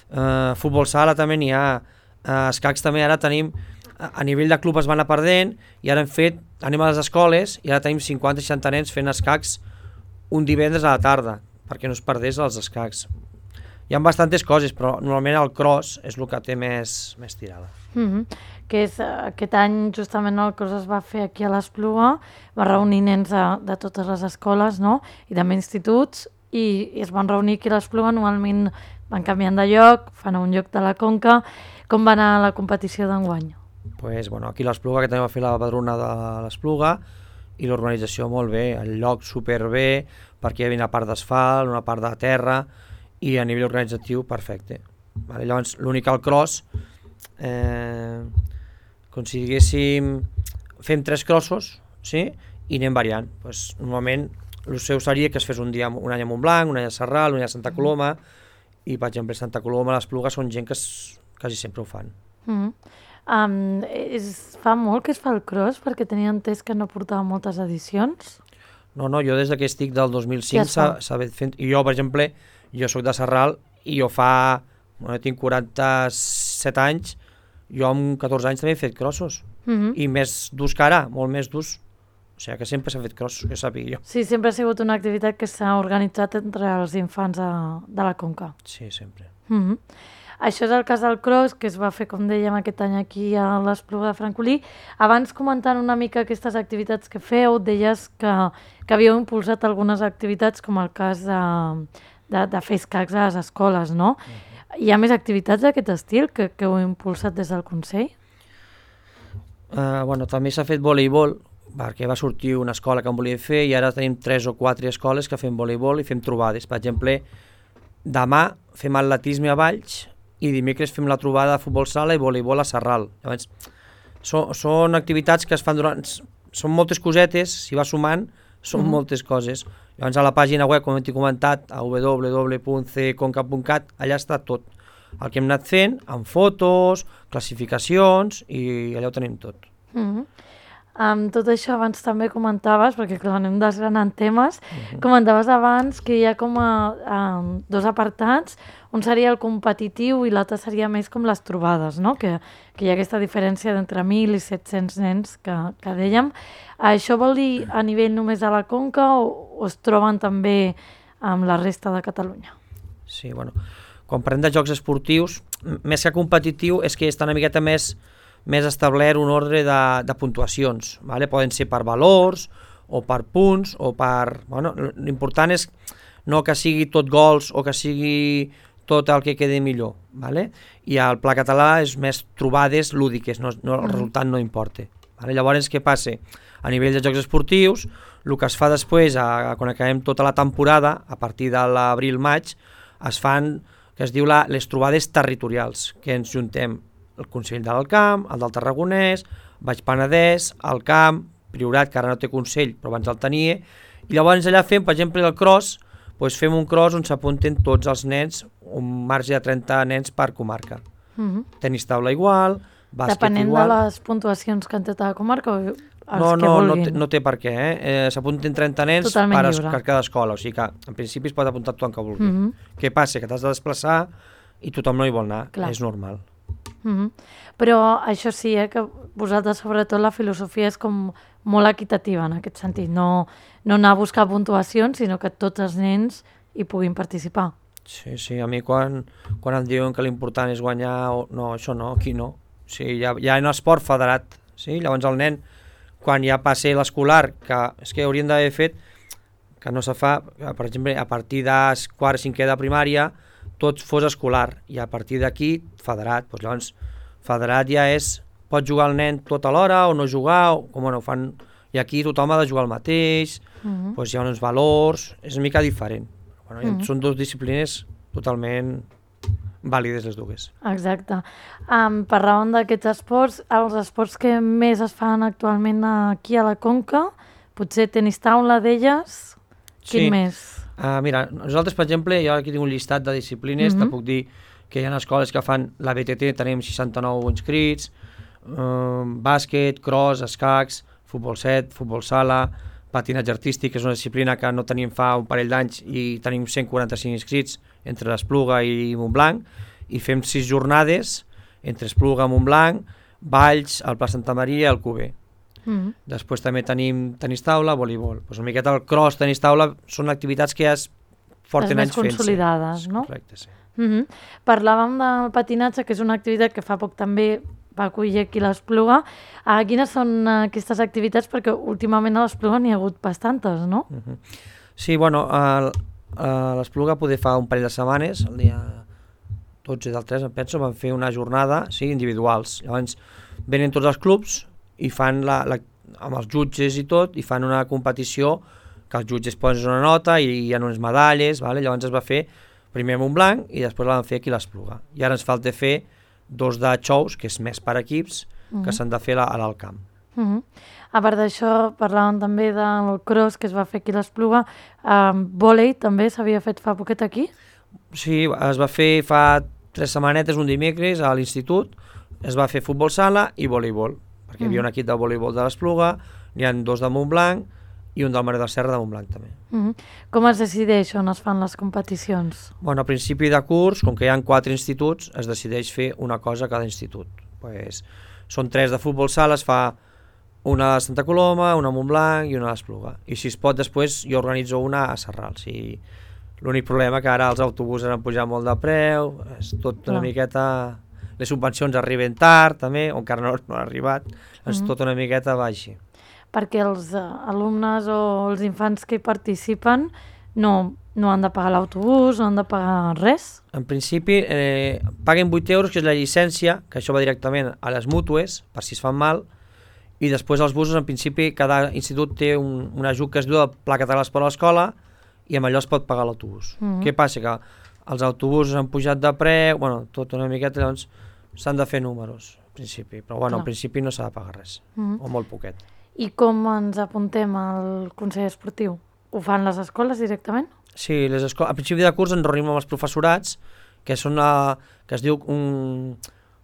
Uh, futbol sala també n'hi ha, Uh, escacs també ara tenim, a, a nivell de club es van anar perdent, i ara hem fet, anem a les escoles, i ara tenim cinquanta seixanta nens fent escacs un divendres a la tarda, perquè no es perdés els escacs. Hi ha bastantes coses, però normalment el cross és el que té més, més tirada. Mm-hmm. Que és, aquest any justament el cross es va fer aquí a l'Espluga, va reunir nens de, de totes les escoles, no? I també instituts, i, i es van reunir aquí a l'Espluga, normalment van canviant de lloc, fan a un lloc de la Conca. Com va anar la competició d'enguany? Pues, bueno, aquí a l'Espluga, que també va fer la padrona de l'Espluga, i l'organització molt bé, el lloc superbé, perquè hi havia una part d'asfalt, una part de terra, i a nivell organitzatiu perfecte. Vale? Llavors, l'únic al cross, eh, com si diguéssim, fem tres crossos, sí? I anem variant. Pues, normalment, el seu seria que es fes un dia un any a Montblanc, un any a Sarral, un any a Santa Coloma, i per exemple Santa Coloma, l'Espluga són gent que es, quasi sempre ho fan. Mm-hmm. um, és, fa molt que es fa el cross, perquè tenia entès que no portava moltes edicions. No, no, jo des que estic del dos mil cinc s'ha fet, i jo, per exemple, jo soc de Sarral, i jo fa, bueno, tinc quaranta-set anys, jo amb catorze anys també he fet crossos, mm-hmm. i més durs que ara, molt més durs, o sigui que sempre s'ha fet crossos, que sàpiga jo. Sí, sempre ha sigut una activitat que s'ha organitzat entre els infants de, de la Conca. Sí, sempre. Mm-hmm. Això és el cas del cross, que es va fer, com dèiem, aquest any aquí a l'Espluga de Francolí. Abans, comentant una mica aquestes activitats que feu, deies que, que havíeu impulsat algunes activitats, com el cas de, de, de fer escacs a les escoles, no? Mm-hmm. Hi ha més activitats d'aquest estil que, que heu impulsat des del Consell? Uh, bueno, també s'ha fet voleibol, perquè va sortir una escola que en volia fer, i ara tenim tres o quatre escoles que fem voleibol i fem trobades. Per exemple, demà fem atletisme a Valls, i dimecres fem la trobada de futbol sala i voleibol a Sarral. Llavors, so, són activitats que es fan durant... Són moltes cosetes, si va sumant, són mm-hmm. moltes coses. Llavors, a la pàgina web, com hem comentat, a w w w punt c conca punt cat, allà està tot. El que hem anat fent, amb fotos, classificacions, i allà ho tenim tot. Mm-hmm. Um, tot això abans també comentaves, perquè clar, anem desgranant temes, uh-huh. comentaves abans que hi ha com a, um, dos apartats, un seria el competitiu i l'altre seria més com les trobades, no? que, que hi ha aquesta diferència d'entre mil i set-cents nens que, que dèiem. Això vol dir a nivell només de la Conca o, o es troben també amb la resta de Catalunya? Sí, bueno, quan parlem de jocs esportius, més que competitiu és que està una miqueta més més establert un ordre de, de puntuacions, vale? Poden ser per valors, o per punts, o per... Bueno, l'important és no que sigui tot gols o que sigui tot el que quedi millor, vale? I el Pla Català és més trobades lúdiques, no, no, el resultat no importa. Vale? Llavors, què passa? A nivell de jocs esportius, el que es fa després, a, a, quan acabem tota la temporada, a partir de l'abril-maig, es fan, que es diu la, les trobades territorials, que ens juntem el Consell del Camp, el del Tarragonès, Baix Penedès, el Camp, Priorat, que ara no té Consell, però abans el tenia, i llavors allà fem, per exemple, el cross, doncs fem un cross on s'apunten tots els nens, un marge de trenta nens per comarca. Mm-hmm. Tenis taula igual, bàsquet Depenent igual... Depenent de les puntuacions que han fet a la comarca o els no, que no, vulguin? No, té, no té per què, eh? eh s'apunten trenta nens Totalment per, lliure. per cada escola, o sigui que en principi es pot apuntar tothom que vulgui. Mm-hmm. Què passa? Que t'has de desplaçar i tothom no hi vol anar, clar. És normal. Mm-hmm. Però això sí, eh, que vosaltres sobretot la filosofia és com molt equitativa en aquest sentit, no, no anar a buscar puntuacions, sinó que tots els nens hi puguin participar. Sí, sí, a mi quan, quan em diuen que l'important és guanyar, o, no, això no, aquí no. O sigui, hi ha, hi ha un esport federat, sí? Llavors el nen, quan ja passa l'escolar, que és que haurien d'haver fet, que no se fa, per exemple, a partir de quart i cinquè de primària, tot fos escolar, i a partir d'aquí, federat. Doncs llavors, federat ja és, pot jugar el nen tota l'hora o no jugar, o com no ho fan, i aquí tothom ha de jugar el mateix, uh-huh. doncs hi ha uns valors, és una mica diferent. Bueno, uh-huh. Són dues disciplines totalment vàlides les dues. Exacte. Um, parlàvem d'aquests esports, els esports que més es fan actualment aquí a la Conca, potser tenis taula d'elles, quin sí. més? Uh, mira, nosaltres, per exemple, jo aquí tinc un llistat de disciplines, uh-huh. te puc dir que hi ha escoles que fan la B T T, tenim seixanta-nou inscrits, eh, bàsquet, cross, escacs, futbol set, futbol sala, patinatge artístic, que és una disciplina que no tenim fa un parell d'anys i tenim cent quaranta-cinc inscrits entre l'Espluga i Montblanc, i fem sis jornades entre Espluga, Montblanc, Valls, el Pla Santa Maria i el Cuber. Mm. Després també tenim tenis taula, voleibol. Pues una miqueta el cross, tenis taula, són activitats que ja es porten anys fent-se. Les més consolidades, no? Correcte, sí. Mm-hmm. Parlàvem del patinatge, que és una activitat que fa poc també va acollir aquí l'Espluga. Uh, quines són aquestes activitats? Perquè últimament a l'Espluga n'hi ha hagut bastantes, no? Uh-huh. Sí, bueno, a, a l'Espluga poder fa un parell de setmanes, el dia dotze del tres, em penso, van fer una jornada, sí, individuals. Llavors venen tots els clubs i fan la, la, amb els jutges i tot, i fan una competició que els jutges posen una nota i hi ha unes medalles, vale? Llavors es va fer primer a Montblanc i després la van fer aquí a l'Espluga. I ara ens falta fer dos de xous, que és més per equips, uh-huh. que s'han de fer a l'alt camp. Uh-huh. A part d'això, parlàvem també del cross que es va fer aquí a l'Espluga. Um, vòlei també s'havia fet fa poquet aquí? Sí, es va fer fa tres setmanetes, un dimecres, a l'institut. Es va fer futbol sala i voleibol, perquè hi havia un equip de voleibol de l'Espluga, n'hi ha dos de Montblanc i un del Mare de la Serra de Montblanc també. Uh-huh. Com es decideix on es fan les competicions? Bueno, a principi de curs, com que hi ha quatre instituts, es decideix fer una cosa a cada institut. Pues, són tres de futbol sala, es fa una a Santa Coloma, una a Montblanc i una a l'Espluga. I si es pot, després jo organitzo una a Sarral. Sí. L'únic problema que ara els autobusos han pujat molt de preu, és tot una Clar. miqueta... Les subvencions arriben tard, també, o encara no, no han arribat, és Mhm. tot una miqueta va així. Perquè els uh, alumnes o els infants que hi participen no, no han de pagar l'autobús, no han de pagar res? En principi, eh, paguen vuit euros, que és la llicència, que això va directament a les mútues, per si es fan mal, i després els busos, en principi, cada institut té un, un ajut que es diu el Pla Català per a l'escola, i amb allò es pot pagar l'autobús. Mhm. Què passa? Que els autobusos han pujat de preu, bueno, tot una miqueta, llavors s'han de fer números, en principi, però bueno, Clar. en principi no s'ha de pagar res, Mhm. o molt poquet. I com ens apuntem al Consell Esportiu? Ho fan les escoles directament? Sí, les escoles, a principi de curs ens reunim amb els professorats, que són la, que es diu un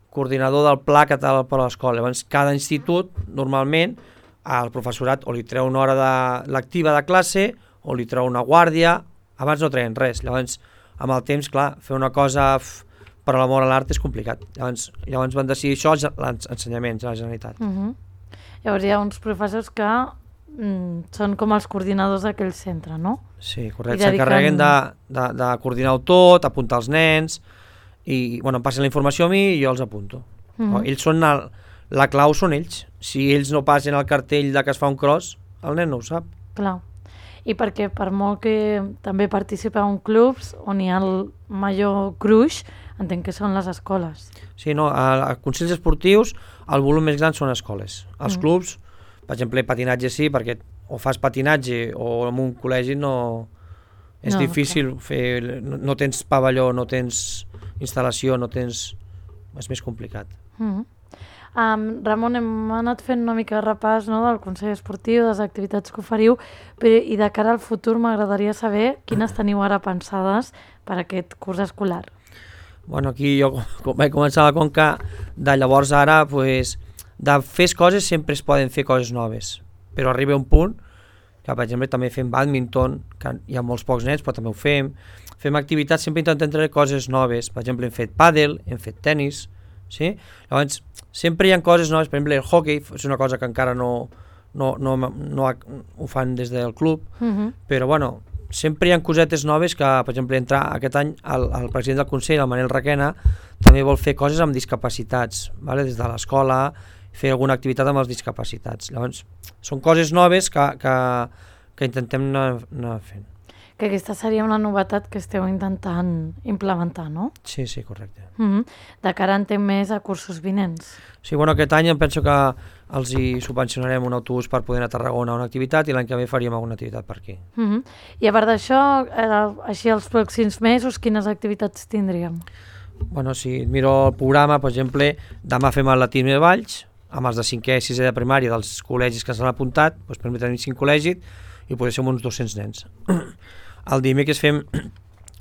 coordinador del Pla Català per a l'escola. Llavors, cada institut, normalment, al professorat o li treu una hora de lectiva de classe o li treu una guàrdia, abans no treien res. Llavors, amb el temps, clar, fer una cosa f, per a l'amor a l'art és complicat. Llavors, llavors van decidir això els ensenyaments a la Generalitat. Uh -huh. Llavors hi ha uns professors que mm, són com els coordinadors d'aquell centre, no? Sí, correcte. I dediquen- S'encarreguen de, de, de coordinar-ho tot, apuntar els nens, i bueno, em passen la informació a mi i jo els apunto. Uh -huh. Ells són el, la clau són ells. Si ells no passen el cartell de que es fa un cross, el nen no ho sap. Clar. I perquè per molt que també participeu en clubs on hi ha el major gruix, entenc que són les escoles. Sí, no, a, a consells esportius el volum més gran són escoles. Els Mm. clubs, per exemple, patinatge sí, perquè o fas patinatge o en un col·legi no... És No, difícil fer... No, no tens pavelló, no tens instal·lació, no tens... És més complicat. Uh -huh. um, Ramon, hem anat fent una mica de repàs, no, del Consell Esportiu, de les activitats que oferiu, però, i de cara al futur m'agradaria saber quines teniu ara pensades per aquest curs escolar. Bueno, aquí jo com vaig començar a la Conca, de llavors ara, pues, de fer coses sempre es poden fer coses noves, però arriba un punt que, per exemple, també fem bàdminton, que hi ha molts pocs nens, però també ho fem. Fem activitats, sempre intentem treure coses noves. Per exemple, hem fet pàdel, hem fet tennis, sí? Llavors, sempre hi ha coses noves. Per exemple, el hockey és una cosa que encara no, no, no, no ho fan des del club, Uh -huh. però, bueno, sempre hi ha cosetes noves que, per exemple, entrar aquest any el, el president del Consell, el Manel Requena, també vol fer coses amb discapacitats, vale? Des de l'escola, fer alguna activitat amb els discapacitats. Llavors, són coses noves que, que, que intentem anar, anar fent. Que aquesta seria una novetat que esteu intentant implementar, no? Sí, sí, correcte. Uh -huh. De cara entenc més a cursos vinents. Sí, bueno, aquest any em penso que els hi subvencionarem un autobús per poder anar a Tarragona a una activitat i l'any que ve faríem alguna activitat per aquí. Uh -huh. I a part d'això, eh, així els pròxims mesos, quines activitats tindríem? Bueno, si miro el programa, per exemple, demà fem l'atletisme de Valls, amb els de cinquè i sisè de primària dels col·legis que s'han apuntat, doncs per mi tenim cinc col·legis i potser som uns dos-cents nens. El dimecres fem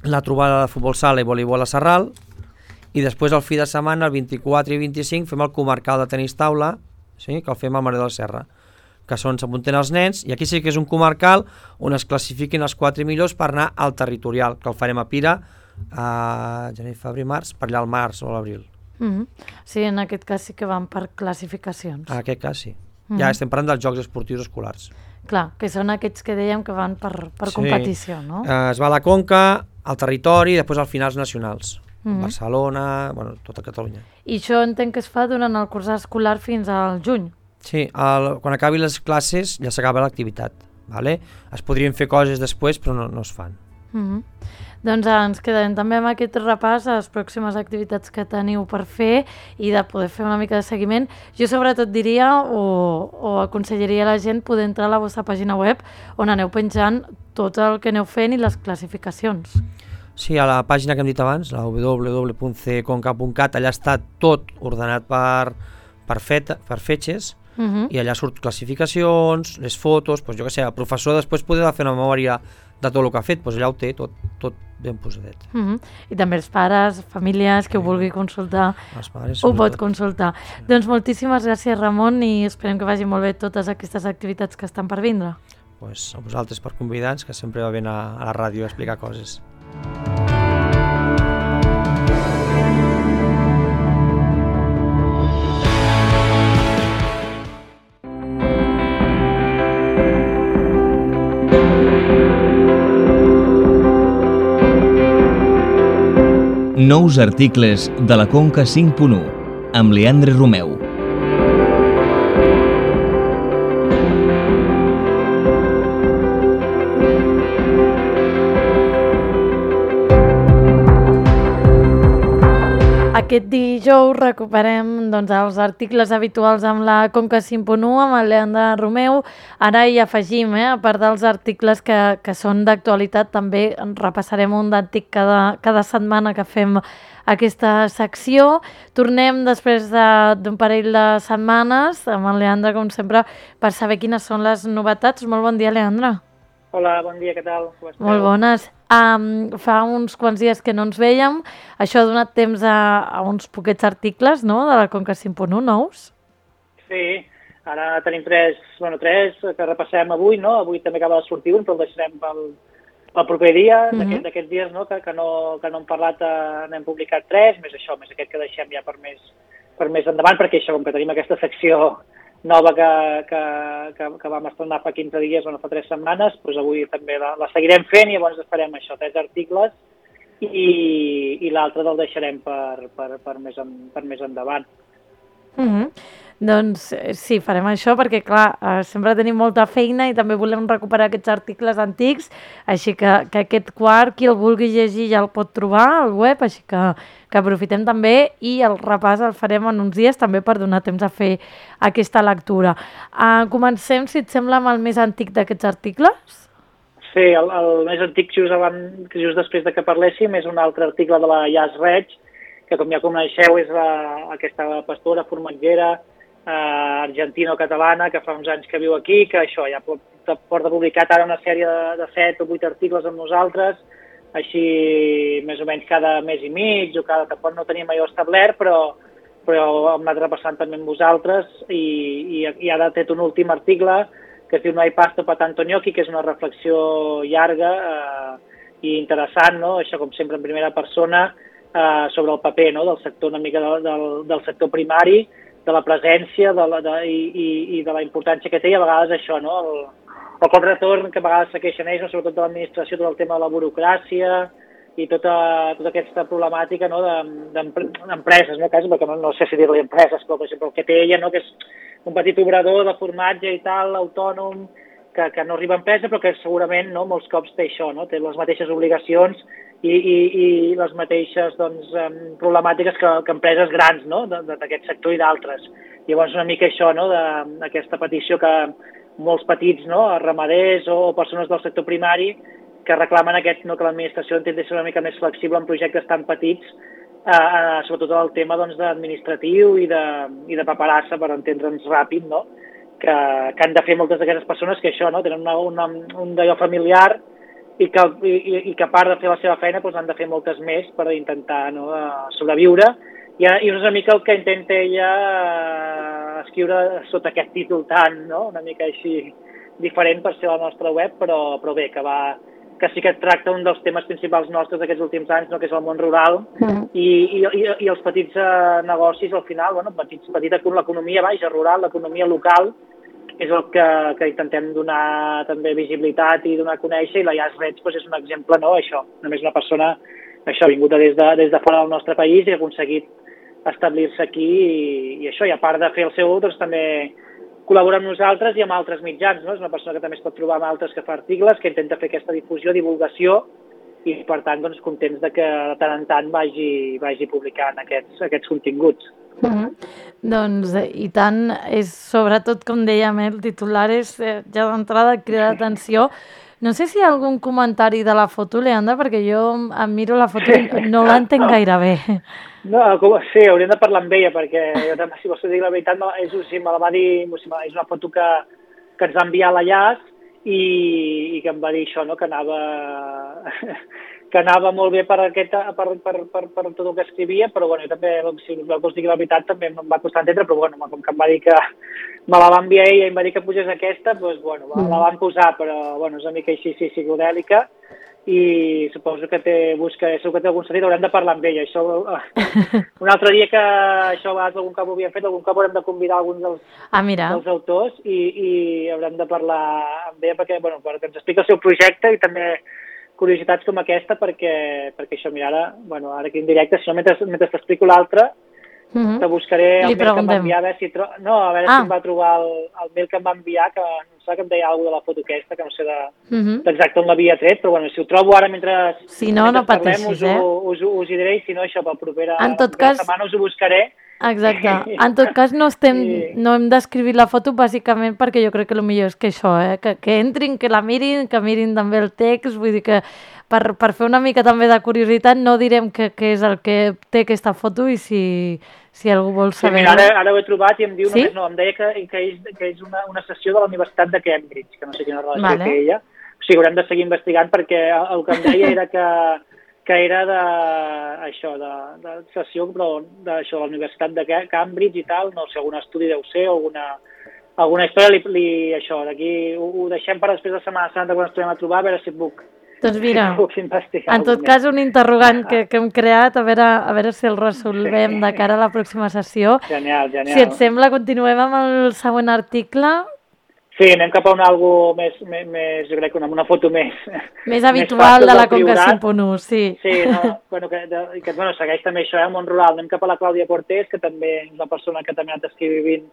la trobada de futbol sala i voleibol a Sarral, i després el fi de setmana, el vint-i-quatre i vint-i-cinc, fem el comarcal de tenis taula, sí? Que el fem al Mare de la Serra, que són, s'apunten els nens, i aquí sí que és un comarcal on es classifiquin els quatre millors per anar al territorial, que el farem a Pira, a gener, febrer, març, per allà al març o a l'abril. Mm-hmm. Sí, en aquest cas sí que van per classificacions. En aquest cas sí. Mm-hmm. Ja estem parlant dels Jocs Esportius Escolars. Clar, que són aquests que dèiem que van per, per sí. competició, no? Eh, es va a la Conca, al territori, i després al finals nacionals. Mm-hmm. Barcelona, bueno, tota Catalunya. I això entenc que es fa durant el curs escolar fins al juny. Sí, el, quan acabi les classes ja s'acaba l'activitat. Vale? Es podrien fer coses després, però no, no es fan. Mm-hmm. Doncs ens quedarem també amb aquest repàs a les pròximes activitats que teniu per fer i de poder fer una mica de seguiment. Jo sobretot diria o, o aconsellaria a la gent poder entrar a la vostra pàgina web on aneu penjant tot el que aneu fent i les classificacions. Sí, a la pàgina que hem dit abans, la w w w punt c conca punt cat, allà està tot ordenat per, per, feta, per fetges. Uh-huh. I allà surt classificacions, les fotos, doncs jo què sé, el professor després podrà fer una memòria de tot el que ha fet, doncs allà ho té tot, tot ben posadet. Uh-huh. I també els pares, famílies, que sí. ho vulgui consultar, pares, ho pot consultar. Sí. Doncs moltíssimes gràcies, Ramon, i esperem que vagi molt bé totes aquestes activitats que estan per vindre. Pues a vosaltres per convidar-nos, que sempre va bé a, a la ràdio a explicar coses. Nous articles de la Conca cinc punt u amb Leandre Romeu. Aquest dijous recuperem doncs, els articles habituals amb la Conca cinc punt u, amb el Leandre Romeu. Ara hi afegim, eh, a part dels articles que, que són d'actualitat, també repassarem un d'antic cada, cada setmana que fem aquesta secció. Tornem després d'un de, parell de setmanes amb el Leandre, com sempre, per saber quines són les novetats. Molt bon dia, Leandre. Hola, bon dia, què tal? Com esteu? Molt bones. Um, fa uns quants dies que no ens vèiem. Això ha donat temps a, a uns poquets articles, no?, de la Conca cinc punt u nous. Sí, ara tenim tres, bueno, tres que repassem avui, no? Avui també acaba de sortir un, però el deixarem pel, pel proper dia, mm-hmm. d'aquests dies, no?, que, que, no, que no hem parlat, eh, n'hem publicat tres, més això, més aquest que deixem ja per més, per més endavant, perquè això, com que tenim aquesta secció nova que, que, que, que vam estrenar fa quinze dies, bueno, fa tres setmanes, doncs avui també la, la seguirem fent i llavors farem això, tres articles i, i l'altre el deixarem per, per, per, més, en, per més endavant. Mm-hmm. Doncs sí, farem això perquè, clar, eh, sempre tenim molta feina i també volem recuperar aquests articles antics, així que, que aquest quart, qui el vulgui llegir ja el pot trobar al web, així que, que aprofitem també i el repàs el farem en uns dies també per donar temps a fer aquesta lectura. Uh, comencem, si et sembla, amb el més antic d'aquests articles? Sí, el, el més antic, just, abans, just després de que parléssim, és un altre article de la Jas Reig, que com ja coneixeu és la, aquesta pastora formatgera eh, argentino-catalana que fa uns anys que viu aquí, que això ja porta publicat ara una sèrie de, de set o vuit articles amb nosaltres, així més o menys cada mes i mig o cada, tampoc no teníem allò establert, però, però hem anat repassant també amb vosaltres i, i, i ara ha tret un últim article que es diu No hay pasta para tanto gnocchi, que és una reflexió llarga eh, i interessant, no? Això com sempre en primera persona, eh, sobre el paper, no?, del sector, una mica del, del, del sector primari, de la presència de la, de, i, i, i de la importància que té, i a vegades això, no?, el, el contratorn que a vegades se queixen ells, no?, sobretot de l'administració, tot el tema de la burocràcia i tota, tota aquesta problemàtica, no?, d'empreses, no?, quasi, perquè no, no sé si dir-li empreses, però per exemple el que té ella, no?, que és un petit obrador de formatge i tal, autònom, que, que no arriba a empresa, però que segurament, no?, molts cops té això, no?, té les mateixes obligacions i, i, i les mateixes, doncs, problemàtiques que, que empreses grans, no?, d'aquest sector i d'altres. Llavors una mica això, no?, d'aquesta petició que molts petits, no?, ramaders o persones del sector primari que reclamen aquest, no?, que l'administració intenti ser una mica més flexible en projectes tan petits, eh, eh, sobretot el tema, doncs, administratiu i de, i de paperassa, per entendre'ns ràpid, no?, que, que han de fer moltes d'aquestes persones que això, no?, tenen una, una, un d'allò familiar i que, i, i que a part de fer la seva feina doncs han de fer moltes més per intentar, no?, sobreviure. I, i és una mica el que intenta ella eh, escriure sota aquest títol tan, no?, una mica així diferent per ser la nostra web, però, però bé, que va, que sí que tracta un dels temes principals nostres d'aquests últims anys, no? Que és el món rural, Mm. i, i, i, i els petits eh, negocis, al final, bueno, petits, petita, l'economia baixa, rural, l'economia local, és el que, que intentem donar també visibilitat i donar a conèixer, i la Jazz Reds pues, és un exemple, no?, això, només una persona, això, vinguda des de, des de fora del nostre país i ha aconseguit establir-se aquí, i, i això, i a part de fer el seu, doncs també col·labora amb nosaltres i amb altres mitjans, no? És una persona que també es pot trobar amb altres que fa articles, que intenta fer aquesta difusió, divulgació, i per tant, doncs, contents de que de tant en tant vagi, vagi publicant aquests, aquests continguts. Mm -hmm. Doncs, eh, i tant, és sobretot, com dèiem, eh, el titular és eh, ja d'entrada crida d'atenció. No sé si hi ha algun comentari de la foto, Leandre, perquè jo em miro la foto i no l'entenc gaire bé. No, com, sí, hauríem de parlar amb ella, perquè jo també, si vols dir la veritat, és, sí, me la va dir, és una foto que, que ens va enviar la Jazz i, i que em va dir això, no?, que anava que anava molt bé per, aquest, per, per, per, per tot el que escrivia, però bueno, jo també, si vols dir la veritat, també em va costar entendre, però bueno, com que em va dir que me la va enviar ella i em va dir que posés aquesta, doncs bueno, mm. la van posar, però bueno, és una mica així, sí, psicodèlica, i suposo que té, busca, segur que té algun sentit, haurem de parlar amb ella. Això, un altre dia que això a vegades algun cop ho havíem fet, algun cop haurem de convidar alguns dels, ah, dels autors i, i haurem de parlar amb ella perquè, bueno, perquè ens explica el seu projecte i també curiositats com aquesta, perquè, perquè això, mira, ara, bueno, ara aquí en directe, si no, mentre, mentre t'explico l'altre, mm -hmm. te buscaré el mail que em va enviar, a veure si, tro... no, a veure ah. si em va trobar el, el mail que em va enviar, que no sé, que em deia alguna de la foto aquesta, que no sé d'exacte de, mm -hmm. on l'havia tret, però bueno, si ho trobo ara mentre, si no, mentre no pateixis, parlem, us, eh? ho, us, us hi diré, i si no, això, per propera, en tot propera cas... setmana us ho buscaré. Exacte. En tot cas, no, estem, sí. no hem d'escriure la foto bàsicament perquè jo crec que el millor és que això, eh? que, que entrin, que la mirin, que mirin també el text, vull dir que per, per fer una mica també de curiositat no direm què és el que té aquesta foto i si, si algú vol saber... Sí, mira, ara, ara ho he trobat i em diu, sí? només, no, em deia que, que és, que és una, una sessió de la Universitat de Cambridge, que no sé quina relació vale. té ella. O sigui, haurem de seguir investigant perquè el que em deia era que que era de, això, de, de sessió, però d'això, de la Universitat de Cambridge i tal, no sé, algun estudi deu ser, o alguna, alguna història, li, li, això, d'aquí ho, ho deixem per després de Setmana Santa quan ens tornem a trobar, a veure si puc, doncs mira, si puc investigar. En tot cas, un interrogant que, que hem creat, a veure, a veure si el resolvem de cara a la pròxima sessió. Genial, genial. Si et sembla, continuem amb el següent article. Sí, anem cap a un algo més, més, més jo crec que una, una foto més... Més habitual més de la Conca cinc punt u, sí. Sí, no, bueno, que, de, que bueno, segueix també això, eh, el món rural. Anem cap a la Clàudia Cortés, que també és una persona que també ha anat escrivint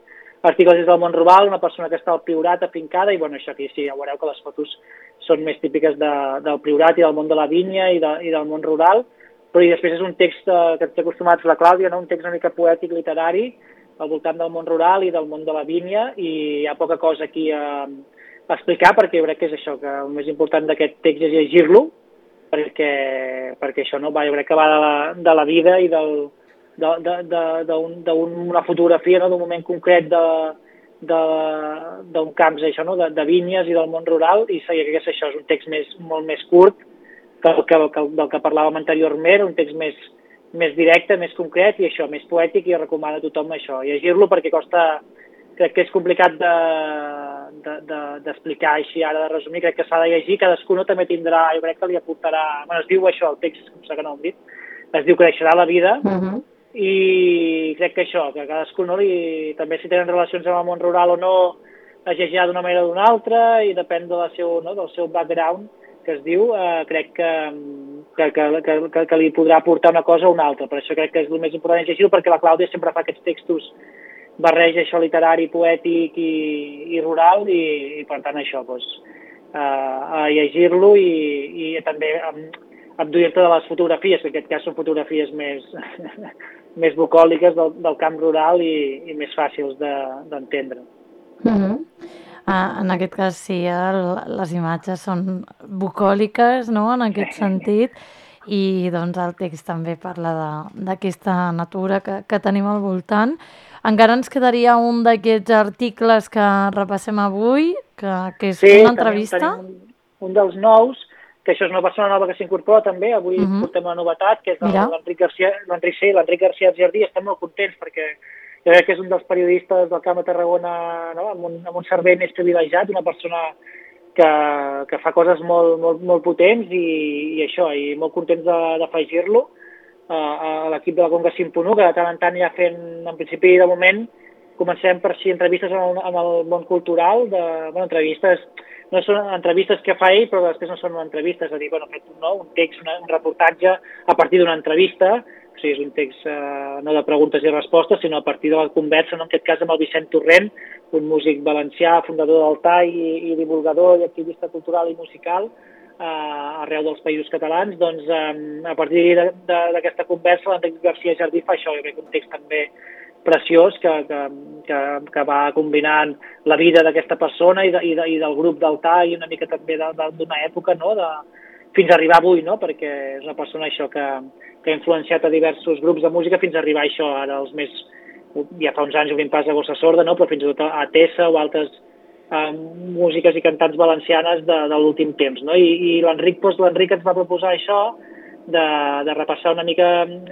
articles des del món rural, una persona que està al Priorat afincada, i bueno, això aquí sí, ja veureu que les fotos són més típiques de, del Priorat i del món de la vinya i, de, i del món rural, però i després és un text eh, que té acostumats la Clàudia, no? Un text una mica poètic, literari, al voltant del món rural i del món de la vinya, i hi ha poca cosa aquí a, a explicar, perquè jo crec que és això, que el més important d'aquest text és llegir-lo, perquè, perquè això no va, jo crec que va de la, de la vida i del, d'una fotografia, no? D'un moment concret d'un camp, això, no? de, de vinyes i del món rural, i jo crec que és això, és un text més, molt més curt que el que, que, del que parlàvem anteriorment, un text més més directe, més concret i això, més poètic, i recomano a tothom això, llegir-lo, perquè costa, crec que és complicat d'explicar de, de, així ara, de resumir, crec que s'ha de llegir, cadascú no també tindrà, jo crec que li aportarà, bueno, es diu això, el text, com que no ho hem dit, es diu Creixerà la vida, uh-huh. i crec que això, que cadascú no li, també si tenen relacions amb el món rural o no, es llegirà d'una manera o d'una altra, i depèn de la seu, no, del seu background, que es diu, eh, crec que, que, que, que, que li podrà aportar una cosa o una altra. Per això crec que és el més important llegir-ho, perquè la Clàudia sempre fa aquests textos, barreja això literari, poètic i, i rural, i, i per tant això, doncs, eh, a llegir-lo i, i també abduir-te de les fotografies, que en aquest cas són fotografies més, més bucòliques del, del camp rural i, i més fàcils d'entendre. De, mm-hmm. Uh, en aquest cas sí, el, les imatges són bucòliques, no?, en aquest sentit, i doncs el text també parla d'aquesta natura que, que tenim al voltant. Encara ens quedaria un d'aquests articles que repassem avui, que, que és sí, una entrevista. Sí, tenim un, un dels nous, que això és una persona nova que s'incorpora també, avui uh-huh. portem una novetat, que és l'Enric García, l'Enric sí, l'Enric García Jardí. Estem molt contents perquè jo crec que és un dels periodistes del Camp de Tarragona, no?, amb, un, amb un servei més privilegiat, una persona que, que fa coses molt, molt, molt potents i, i això, i molt contents d'afegir-lo a, a l'equip de la Conca cinc punt u, que de tant en tant ja fent, en principi de moment, comencem per si entrevistes en el, en el món cultural, de, bueno, entrevistes, no són entrevistes que fa ell, però després no són entrevistes, és a dir, bueno, fet no, un text, una, un reportatge a partir d'una entrevista, o sigui, és un text eh, no de preguntes i respostes, sinó a partir de la conversa, no, en aquest cas amb el Vicent Torrent, un músic valencià, fundador del T A i, i divulgador i activista cultural i musical, Uh, arreu dels països catalans, doncs um, a partir d'aquesta conversa l'Enric García Jardí fa això, jo crec que un text també preciós que, que, que, que va combinant la vida d'aquesta persona i, de, i, de, i del grup del T A i una mica també d'una època, no? De, fins a arribar avui, no? Perquè és una persona això que, que ha influenciat a diversos grups de música fins a arribar a això, ara els més, ja fa uns anys obrim pas a Gossa Sorda, no? Però fins i tot a Tessa o altres Uh, músiques i cantants valencianes de, de l'últim temps, no? I, i l'Enric doncs, l'Enric ens va proposar això de, de repassar una mica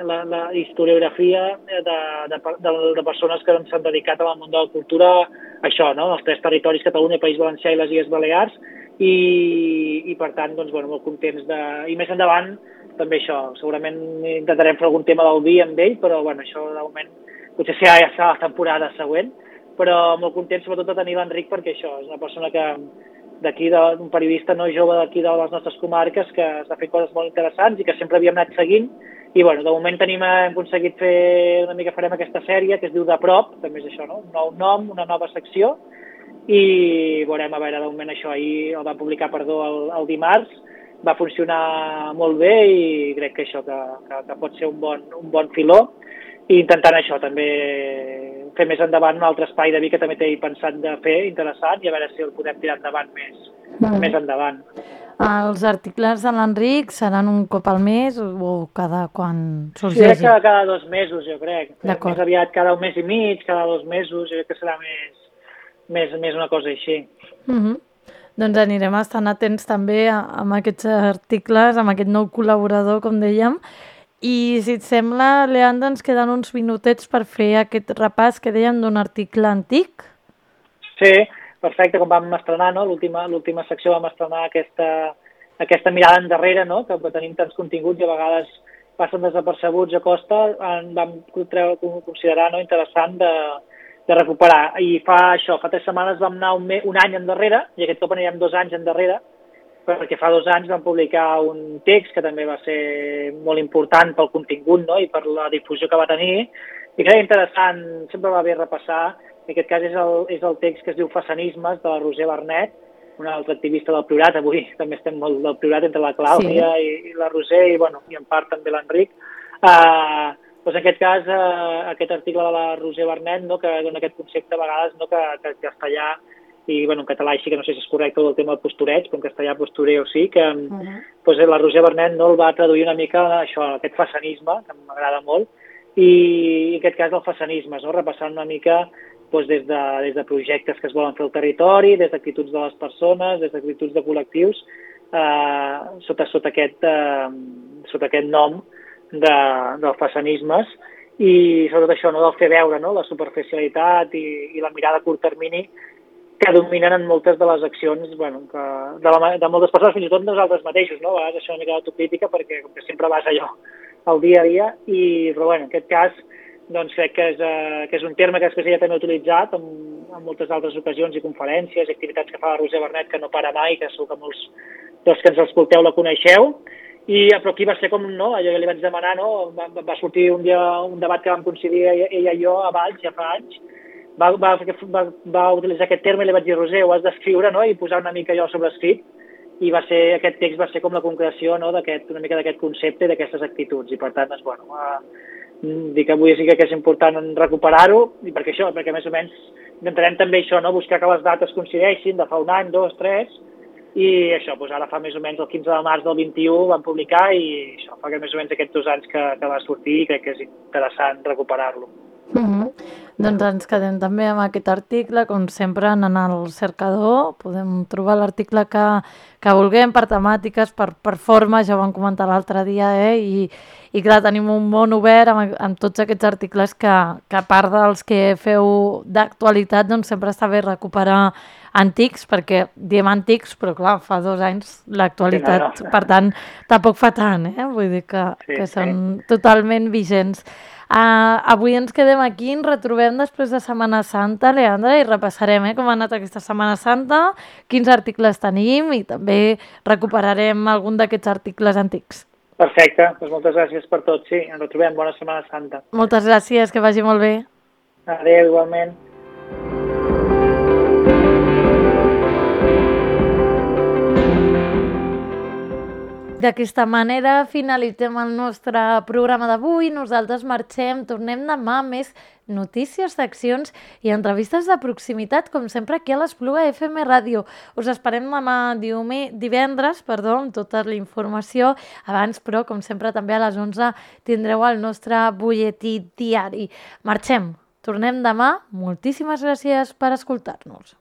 la, la historiografia de, de, de, de persones que s'han dedicat al món de la cultura, això, no? Els tres territoris, Catalunya, País Valencià i les Illes Balears, i, i per tant, doncs, bueno, molt contents de... I més endavant, també això, segurament intentarem fer algun tema del vi amb ell, però bueno, això de moment potser serà ja serà la temporada següent, però molt content sobretot de tenir l'Enric perquè això, és una persona que d'aquí, un periodista no jove d'aquí de les nostres comarques que està fent coses molt interessants i que sempre havíem anat seguint i bueno, de moment tenim, hem aconseguit fer una mica, farem aquesta sèrie que es diu De Prop, també és això, no? Un nou nom, una nova secció i veurem, a veure, de moment això ahir el van publicar, perdó, el, el dimarts, va funcionar molt bé i crec que això, que, que, que pot ser un bon, un bon filó i intentant això també fer més endavant un altre espai de vi que també t'he pensat de fer interessant i a veure si el podem tirar endavant més, mm. més endavant. Els articles de l'Enric seran un cop al mes o cada quan sorgeixi? Sí, crec que cada dos mesos, jo crec. Més aviat cada un mes i mig, cada dos mesos, jo crec que serà més, més, més una cosa així. Mm-hmm. Doncs anirem estant atents també amb aquests articles, amb aquest nou col·laborador, com dèiem. I si et sembla, Leandre, ens queden uns minutets per fer aquest repàs que dèiem d'un article antic. Sí, perfecte, com vam estrenar, no? L'última l'última secció vam estrenar aquesta, aquesta mirada endarrere, no? Que tenim tants continguts i a vegades passen desapercebuts a costa, en vam considerar, no, interessant de, de recuperar. I fa això, fa tres setmanes vam anar un, me, un any endarrere, i aquest cop anirem dos anys endarrere, perquè fa dos anys vam publicar un text que també va ser molt important pel contingut, no? I per la difusió que va tenir, i que era interessant, sempre va bé repassar, en aquest cas és el, és el text que es diu Façanismes, de la Roser Bernet, una altra activista del Priorat, avui també estem molt del Priorat entre la Clàudia sí. i, i la Roser, i, bueno, i en part també l'Enric. Uh, doncs en aquest cas, uh, aquest article de la Roser Bernet, no? Que dona aquest concepte a vegades, no? que, que el castellà i bueno, en català així que no sé si és correcte el tema del postureig, però en castellà postureo sí, que uh-huh. doncs, la Roser Bernet no el va traduir una mica això, aquest façanisme, que m'agrada molt, i en aquest cas el façanisme, no? Repassant una mica doncs, des, de, des de projectes que es volen fer al territori, des d'actituds de les persones, des d'actituds de col·lectius, eh, sota, sota, aquest, eh, sota aquest nom de, dels façanismes, i sobretot això, no? Del fer veure, no? La superficialitat i, i la mirada a curt termini que dominen en moltes de les accions, bueno, que de, la, de moltes persones, fins i tot nosaltres mateixos, no? A vegades això és una mica d'autocrítica perquè com que sempre vas allò al dia a dia, i, però bueno, en aquest cas doncs crec que és, eh, que és un terme que després ella també ha utilitzat en, en moltes altres ocasions i conferències i activitats que fa la Roser Bernet, que no para mai, que segur que molts dels que ens escolteu la coneixeu, i, però aquí va ser com, no, allò que li vaig demanar, no? Va, va sortir un dia un debat que vam coincidir ella, ella i jo a Valls, ja fa anys, Va, va, va, va utilitzar aquest terme i li vaig dir, Roser, ho has d'escriure, no? I posar una mica allò sobre escrit, i va ser, aquest text va ser com la concreció, no? D'aquest, una mica d'aquest concepte i d'aquestes actituds, i per tant, doncs, bueno, uh, dic avui sí que és important recuperar-ho, i perquè això, perquè més o menys intentarem també això, no? Buscar que les dates coincideixin de fa un any, dos, tres, i això, doncs ara fa més o menys el quinze de març del vint-i-u vam publicar, i això fa que més o menys aquests dos anys que, que va sortir, i crec que és interessant recuperar-lo. Mm-hmm. Doncs ens quedem també amb aquest article, com sempre anant al cercador, podem trobar l'article que, que vulguem per temàtiques, per, per forma, ja ho vam comentar l'altre dia, eh? I, i clar, tenim un món obert amb, amb tots aquests articles que, que a part dels que feu d'actualitat, doncs sempre està bé recuperar antics, perquè diem antics, però clar, fa dos anys l'actualitat, sí, no, no. Per tant, tampoc fa tant, eh? Vull dir que, sí, que són sí. Totalment vigents. Uh, avui ens quedem aquí, ens retrobem després de Setmana Santa, Leandra, i repassarem eh, com ha anat aquesta Setmana Santa, quins articles tenim i també recuperarem algun d'aquests articles antics. Perfecte, doncs moltes gràcies per tot, sí, ens retrobem, bona Setmana Santa. Moltes gràcies, que vagi molt bé. Adéu, igualment. D'aquesta manera finalitzem el nostre programa d'avui. Nosaltres marxem, tornem demà amb més notícies, seccions i entrevistes de proximitat, com sempre aquí a l'Espluga F M Ràdio. Us esperem demà diumenge, divendres, perdó, amb tota la informació. Abans, però, com sempre, també a les onze tindreu el nostre butlletí diari. Marxem, tornem demà. Moltíssimes gràcies per escoltar-nos.